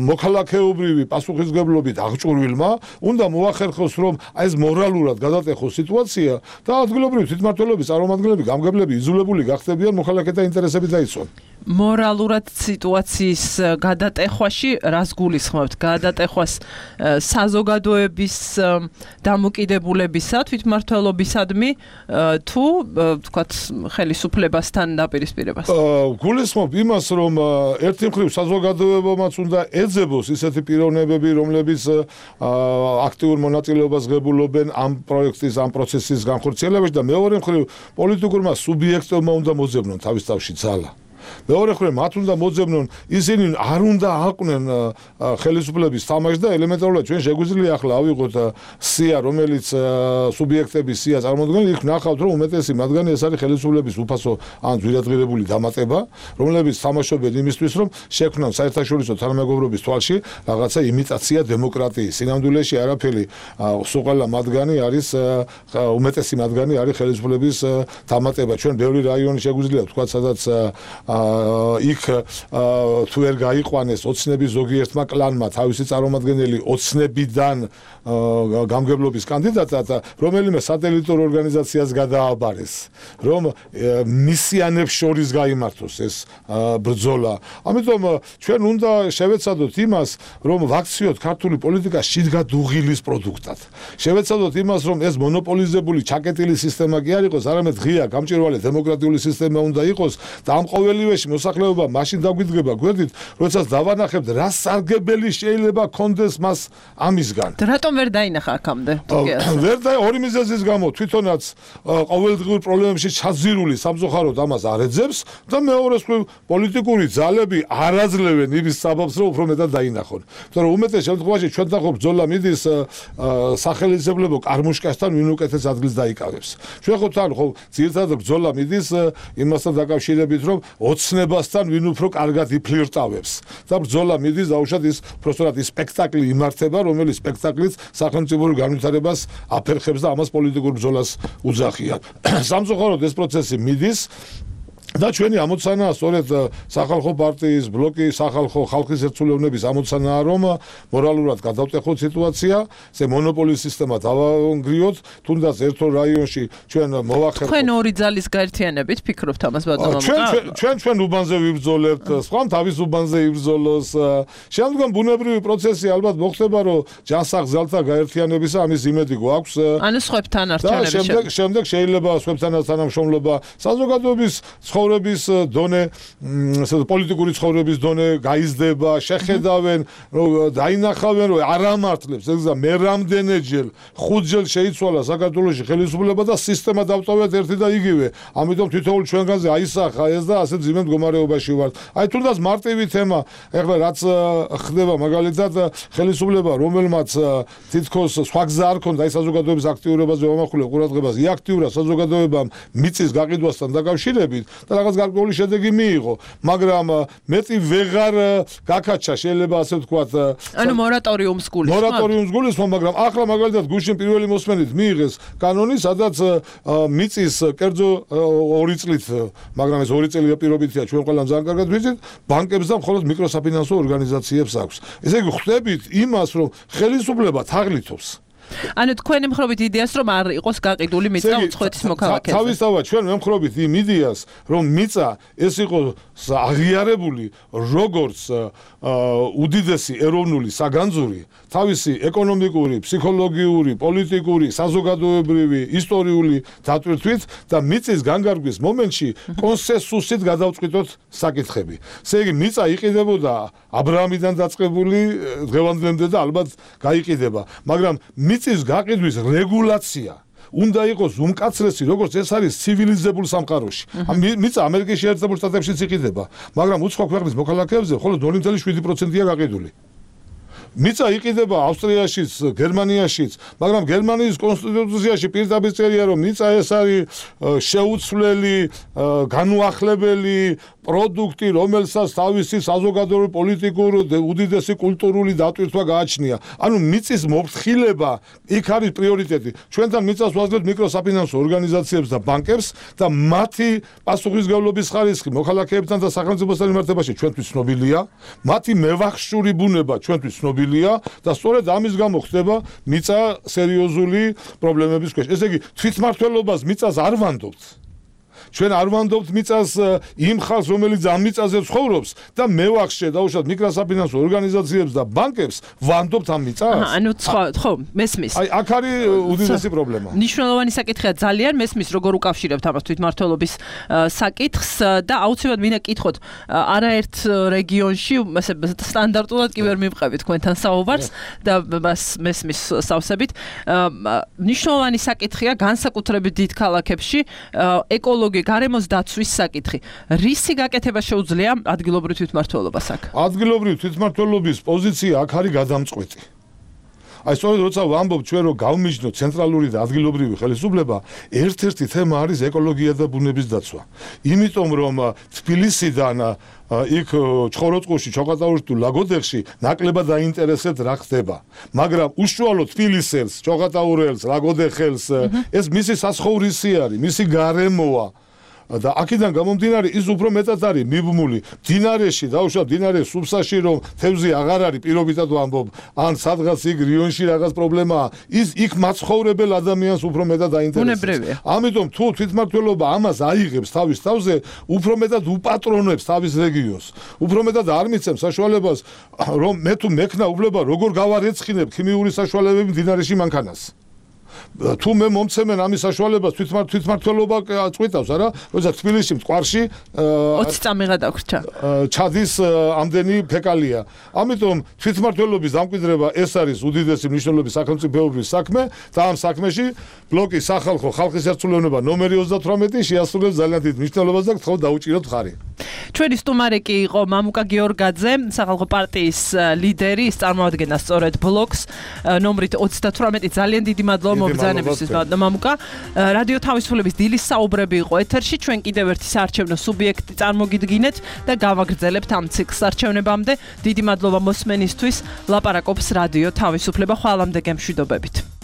მოქალაქეობრივი პასუხისმგებლობით აღჭურვილმა უნდა მოახერხოს, რომ აი ეს მორალურად გადატეხოს სიტუაცია და ადგილობრივი თვითმმართველობის წარმომადგენლები, გამგებლები იზოლებული გახდებიან, მოქალაქეთა ინტერესები დაიცვან. მორალურად სიტუაციის გადატეხვაში რას გულისხმობთ? გადატეხვას საზოგადოების დამოკიდებულებისა თვითმმართველობისადმი თუ თქვათ ხელისუფლებასთან დაპირისპირებას? გულისხმობ იმას, რომ ერთი მხრივ საზოგადოებამაც უნდა ეძებოს ისეთი პიროვნებები, რომლებიც აქტიურ მონაწილეობას ღებულობენ ამ პროექტის, ამ პროცესის განხორციელებაში და მეორე მხრივ პოლიტიკურმა სუბიექტებმა უნდა მოძებნონ თავის თავში ძალა. მეორე მხრივ მათ უნდა მოძებნონ, ისინი არ უნდა აყვნენ ხელისუფლების თამაშს და ელემენტარულად ჩვენ შეგვიძლია ახლა ავიღოთ სია, რომელიც სუბიექტების სია წარმოადგენს, იქ ნახავთ, რომ უმეტესი მათგანი ეს არის ხელისუფლების უფასო ან ძვირადღირებული დამატება, რომლებიც თამაშობენ იმისთვის, რომ შექმნან საერთაშორისო თანამეგობრობის თვალში რაღაცა იმიტაცია დემოკრატიის. სინამდვილეში არაფერი, სულ მათგანი არის უმეტესი მათგანი არის ხელისუფლების დამატება. ჩვენ ბევრი რაიონი შეგვიძლია ვთქვათ, სადაც იქ თუ ვერ გაიყვანეს ოცნების ზოგიერთმა კლანმა თავისი წარმომადგენელი ოცნებიდან გამგებლობის კანდიდატად, რომელიმე სატელიტურ ორგანიზაციას გადააბარეს, რომ მისიანებს შორის გაიმართოს ეს ბრძოლა. ამიტომ ჩვენ უნდა შევეცადოთ იმას, რომ ვაქციოთ ქართული პოლიტიკა შიგადუღილის პროდუქტად. შევეცადოთ იმას, რომ ეს მონოპოლიზებული ჩაკეტილი სისტემა კი არ იყოს, არამედ ღია, გამჭვირვალე დემოკრატიული სისტემა უნდა იყოს და ამ ყოველივეში მოსახლეობა მაშინ დაგვიდგება გვერდით, როდესაც დავანახებთ, რა სარგებელი შეიძლება კონდეს მას ამისგან. რატომ ვერ დაინახა აქამდე? ვერ და ორი მიზეზის გამო თვითონაც ყოველდღიურ პრობლემებში ჩაძირული სამწუხაროდ ამას არ ეძებს და მეორეს პოლიტიკური ძალები არ აძლევენ იმის საბაბს, რომ უფრო მეტად დაინახონ. იმიტომ რომ უმეტეს შემთხვევაში ჩვენ დახო ბრძოლა მიდის სახელმწიფო კარმუშკასთან, ვინ უკეთეს ადგილს დაიკავებს. ჩვენ ხო თან ხო ძირითადად ბრძოლა მიდის იმასთან დაკავშირებით, რომ ოცნებასთან ვინ უფრო კარგად იფლირტავებს. და ბრძოლა მიდის დაუშვათ ის პროსტორად ის სპექტაკლი იმართება, რომელიც სპექტაკლიც სახელმწიფო განვითარებას აფერხებს და ამას პოლიტიკურ ბრძოლას უძახიან. სამწუხაროდ ეს პროცესი მიდის და ჩვენი ამოცანაა სწორედ სახალხო პარტიის ბლოკი სახალხო ხალხის ერთგულოვნების ამოცანაა, რომ მორალურად გადავტეხოთ სიტუაცია, ეს მონოპოლის სისტემა დავანგრიოთ, თუნდაც ერთ რაიონში ჩვენ მოვახერხოთ. თქვენ ორი ძალის გაერთიანებით ფიქრობთ ამას ბატონო? ჩვენ ჩვენ ჩვენ უბანზე ვიბრძოლებთ, სხვა თავის უბანზე იბრძოლოს. შემდგომ ბუნებრივი პროცესი ალბათ მოხდება, რომ ჯანსაღ ძალთა გაერთიანებისა ამის იმედი გვაქვს. ანუ სხვებთან არჩევნების შემდეგ შემდეგ შეიძლება სხვებთანაც თანამშრომლობა საზოგადოების ცხოვრების დონე, პოლიტიკური ცხოვრების დონე გაიზრდება, შეხედავენ, დაინახავენ, რომ არ ამართლებს, ეს მე რამდენჯერ ხუთჯერ შეიცვალა საქართველოში ხელისუფლება და სისტემა დავტოვეთ ერთი და იგივე. ამიტომ თითოეულ ჩვენგანზე აისახა ეს და ასე ძიმე მდგომარეობაში ვართ. აი თუნდაც მარტივი თემა, ეხლა რაც ხდება მაგალითად ხელისუფლება, რომელმაც თითქოს სხვა გზა არ ქონდა აი საზოგადოების აქტიურობაზე მომახულე ყურადღებას, ი აქტიურა საზოგადოებამ მიწის გაყიდვასთან დაკავშირებით და რაღაც გარკვეული შედეგი მიიღო, მაგრამ მეტი ვეღარ გაკაჩა შეიძლება ასე ვთქვათ. ანუ მორატორიუმს გულისხმობ? მორატორიუმს გულისხმობ, მაგრამ ახლა მაგალითად გუშინ პირველი მოსმენით მიიღეს კანონი, სადაც მიწის კერძო ორი წლით, მაგრამ ეს ორი წელი პირობითია, ჩვენ ყველამ ძალიან კარგად ვიცით, ბანკებს და მხოლოდ მიკროსაფინანსო ორგანიზაციებს აქვს. ესე იგი ხვდებით იმას, რომ ხელისუფლება თაღლითობს. ანუ თქვენი მხრობით იდეას, რომ არ იყოს გაყიდული მიწა უცხოეთის მოქალაქეებზე. თავისთავად ჩვენ ვემხრობით იმ იდეას, რომ მიწა ეს იყოს აღიარებული როგორც უდიდესი ეროვნული საგანძური, თავისი ეკონომიკური, ფსიქოლოგიური, პოლიტიკური, საზოგადოებრივი, ისტორიული დატვირთვით და მიწის განგარგვის მომენტში კონსენსუსით გადავწყვიტოთ საკითხები. ესე იგი მიწა იყიდებოდა აბრაამიდან დაწყებული დღევანდლემდე და ალბათ გაიყიდება, მაგრამ მიწის გაყიდვის რეგულაცია უნდა იყოს უმკაცრესი, როგორც ეს არის ცივილიზებულ სამყაროში. მიწა ამერიკის შეერთებულ შტატებშიც იყიდება, მაგრამ უცხო ქვეყნის მოქალაქეებზე მხოლოდ ნული კომა შვიდი პროცენტია გაყიდული. მიწა იყიდება ავსტრიაშიც, გერმანიაშიც, მაგრამ გერმანიის კონსტიტუციაში პირდაპირ წერია, რომ მიწა ეს არის შეუცვლელი, განუახლებელი პროდუქტი, რომელსაც თავისი საზოგადოებრივი, პოლიტიკური, უდიდესი კულტურული დატვირთვა გააჩნია. ანუ მიწის მოფრთხილება იქ არის პრიორიტეტი. ჩვენთან მიწას ვაძლევთ მიკროსაფინანსო ორგანიზაციებს და ბანკებს და მათი პასუხისმგებლობის ხარისხი მოქალაქეებთან და სახელმწიფოსთან მიმართებაში ჩვენთვის ცნობილია, მათი მევახშური ბუნება ჩვენთვის ცნობილია და სწორედ ამის გამო ხდება მიწა სერიოზული პრობლემების ქვეშ. ესე იგი თვითმმართველობას მიწას არ ვანდობთ. ჩვენ არ ვანდობთ მიწას იმ ხალხს, რომელიც ამ მიწაზე ცხოვრობს და მევახშე დაუშვათ მიკროსაფინანსო ორგანიზაციებს და ბანკებს ვანდობთ ამ მიწას. ანუ სხვა, ხო, მესმის. აი, აქ არის უდიდესი პრობლემა. ნიშნულოვანი საკითხია ძალიან, მესმის როგორ უკავშირებთ ამას თვითმმართველობის საკითხს და აუცილებლად მინდა კითხოთ, არაერთ რეგიონში ასე სტანდარტულად კი ვერ მივყევით თქვენთან საუბარს და მესმის სავსებით. ნიშნულოვანი საკითხია განსაკუთრებით დიდ ქალაქებში ეკოლოგია გარემოს დაცვის საკითხი. რისი გაკეთება შეუძლია ადგილობრივ თვითმმართველობას აქ? ადგილობრივ თვითმმართველობის პოზიცია აქ არის გადამწყვეტი. აი სწორედ როცა ვამბობ ჩვენ რომ გავმიჯნოთ ცენტრალური და ადგილობრივი ხელისუფლება, ერთ-ერთი თემა არის ეკოლოგია და ბუნების დაცვა. იმიტომ რომ თბილისიდან იქ ჩხოროწყუში, ჩოხატაურში თუ ლაგოდეხში ნაკლებად დაინტერესებთ რა ხდება. მაგრამ უშუალოდ თბილისელს, ჩოხატაურელს, ლაგოდეხელს ეს მისი სასხოვრისი არის, მისი გარემოა. და აქედან გამომდინარე ის უფრო მეტად არის მიბმული დინარეში, დაუშვათ დინარე სუბსაში, რომ თევზი აღარ არის, პირობითად ვამბობ, ან სადღაც იქ რიონში რაღაც პრობლემაა, ის იქ მაცხოვრებელ ადამიანს უფრო მეტად აინტერესებს. ამიტომ თუ თვითმმართველობა ამას აიღებს თავის თავზე, უფრო მეტად უპატრონებს თავის რეგიონს. უფრო მეტად არ მიცემს საშუალებას, რომ მე თუ მექნა უფლება როგორ გავარეცხინებ ქიმიური საშუალებები დინარეში მანქანას. თუ მე მომცემენ ამის საშუალებას თვითმმართველობა წვითავს არა, როცა თბილისში მტკვარში ოცი წამიღა დაგვრჩა. ჩადის ამდენი ფეკალია. ამიტომ თვითმმართველობის დამკვიდრება ეს არის უდიდესი მნიშვნელობის სახელმწიფოების საქმე და ამ საქმეში ბლოკი სახალხო ხალხის ერთსულოვნება ნომერი ოცდათვრამეტი შეასრულებს ძალიან დიდ მნიშვნელობას და გთხოვთ დაუჭიროთ მხარი. ჩვენი სტუმარი კი იყო მამუკა გიორგაძე, სახალხო პარტიის ლიდერი, ის წარმოადგენდა სწორედ ბლოკს ნომრით ოცდათვრამეტი. ძალიან დიდი მადლობა მობრძანებისთვის მამუკა. რადიო თავისუფლების დილის საუბრები იყო ეთერში. ჩვენ კიდევ ერთი საარჩევნო სუბიექტი წარმოგიდგინეთ და გავაგრძელებთ ამ ციკლს არჩევნებამდე. დიდი მადლობა მოსმენისთვის. ლაპარაკობს რადიო თავისუფლება. ხვალამდე გემშვიდობებით.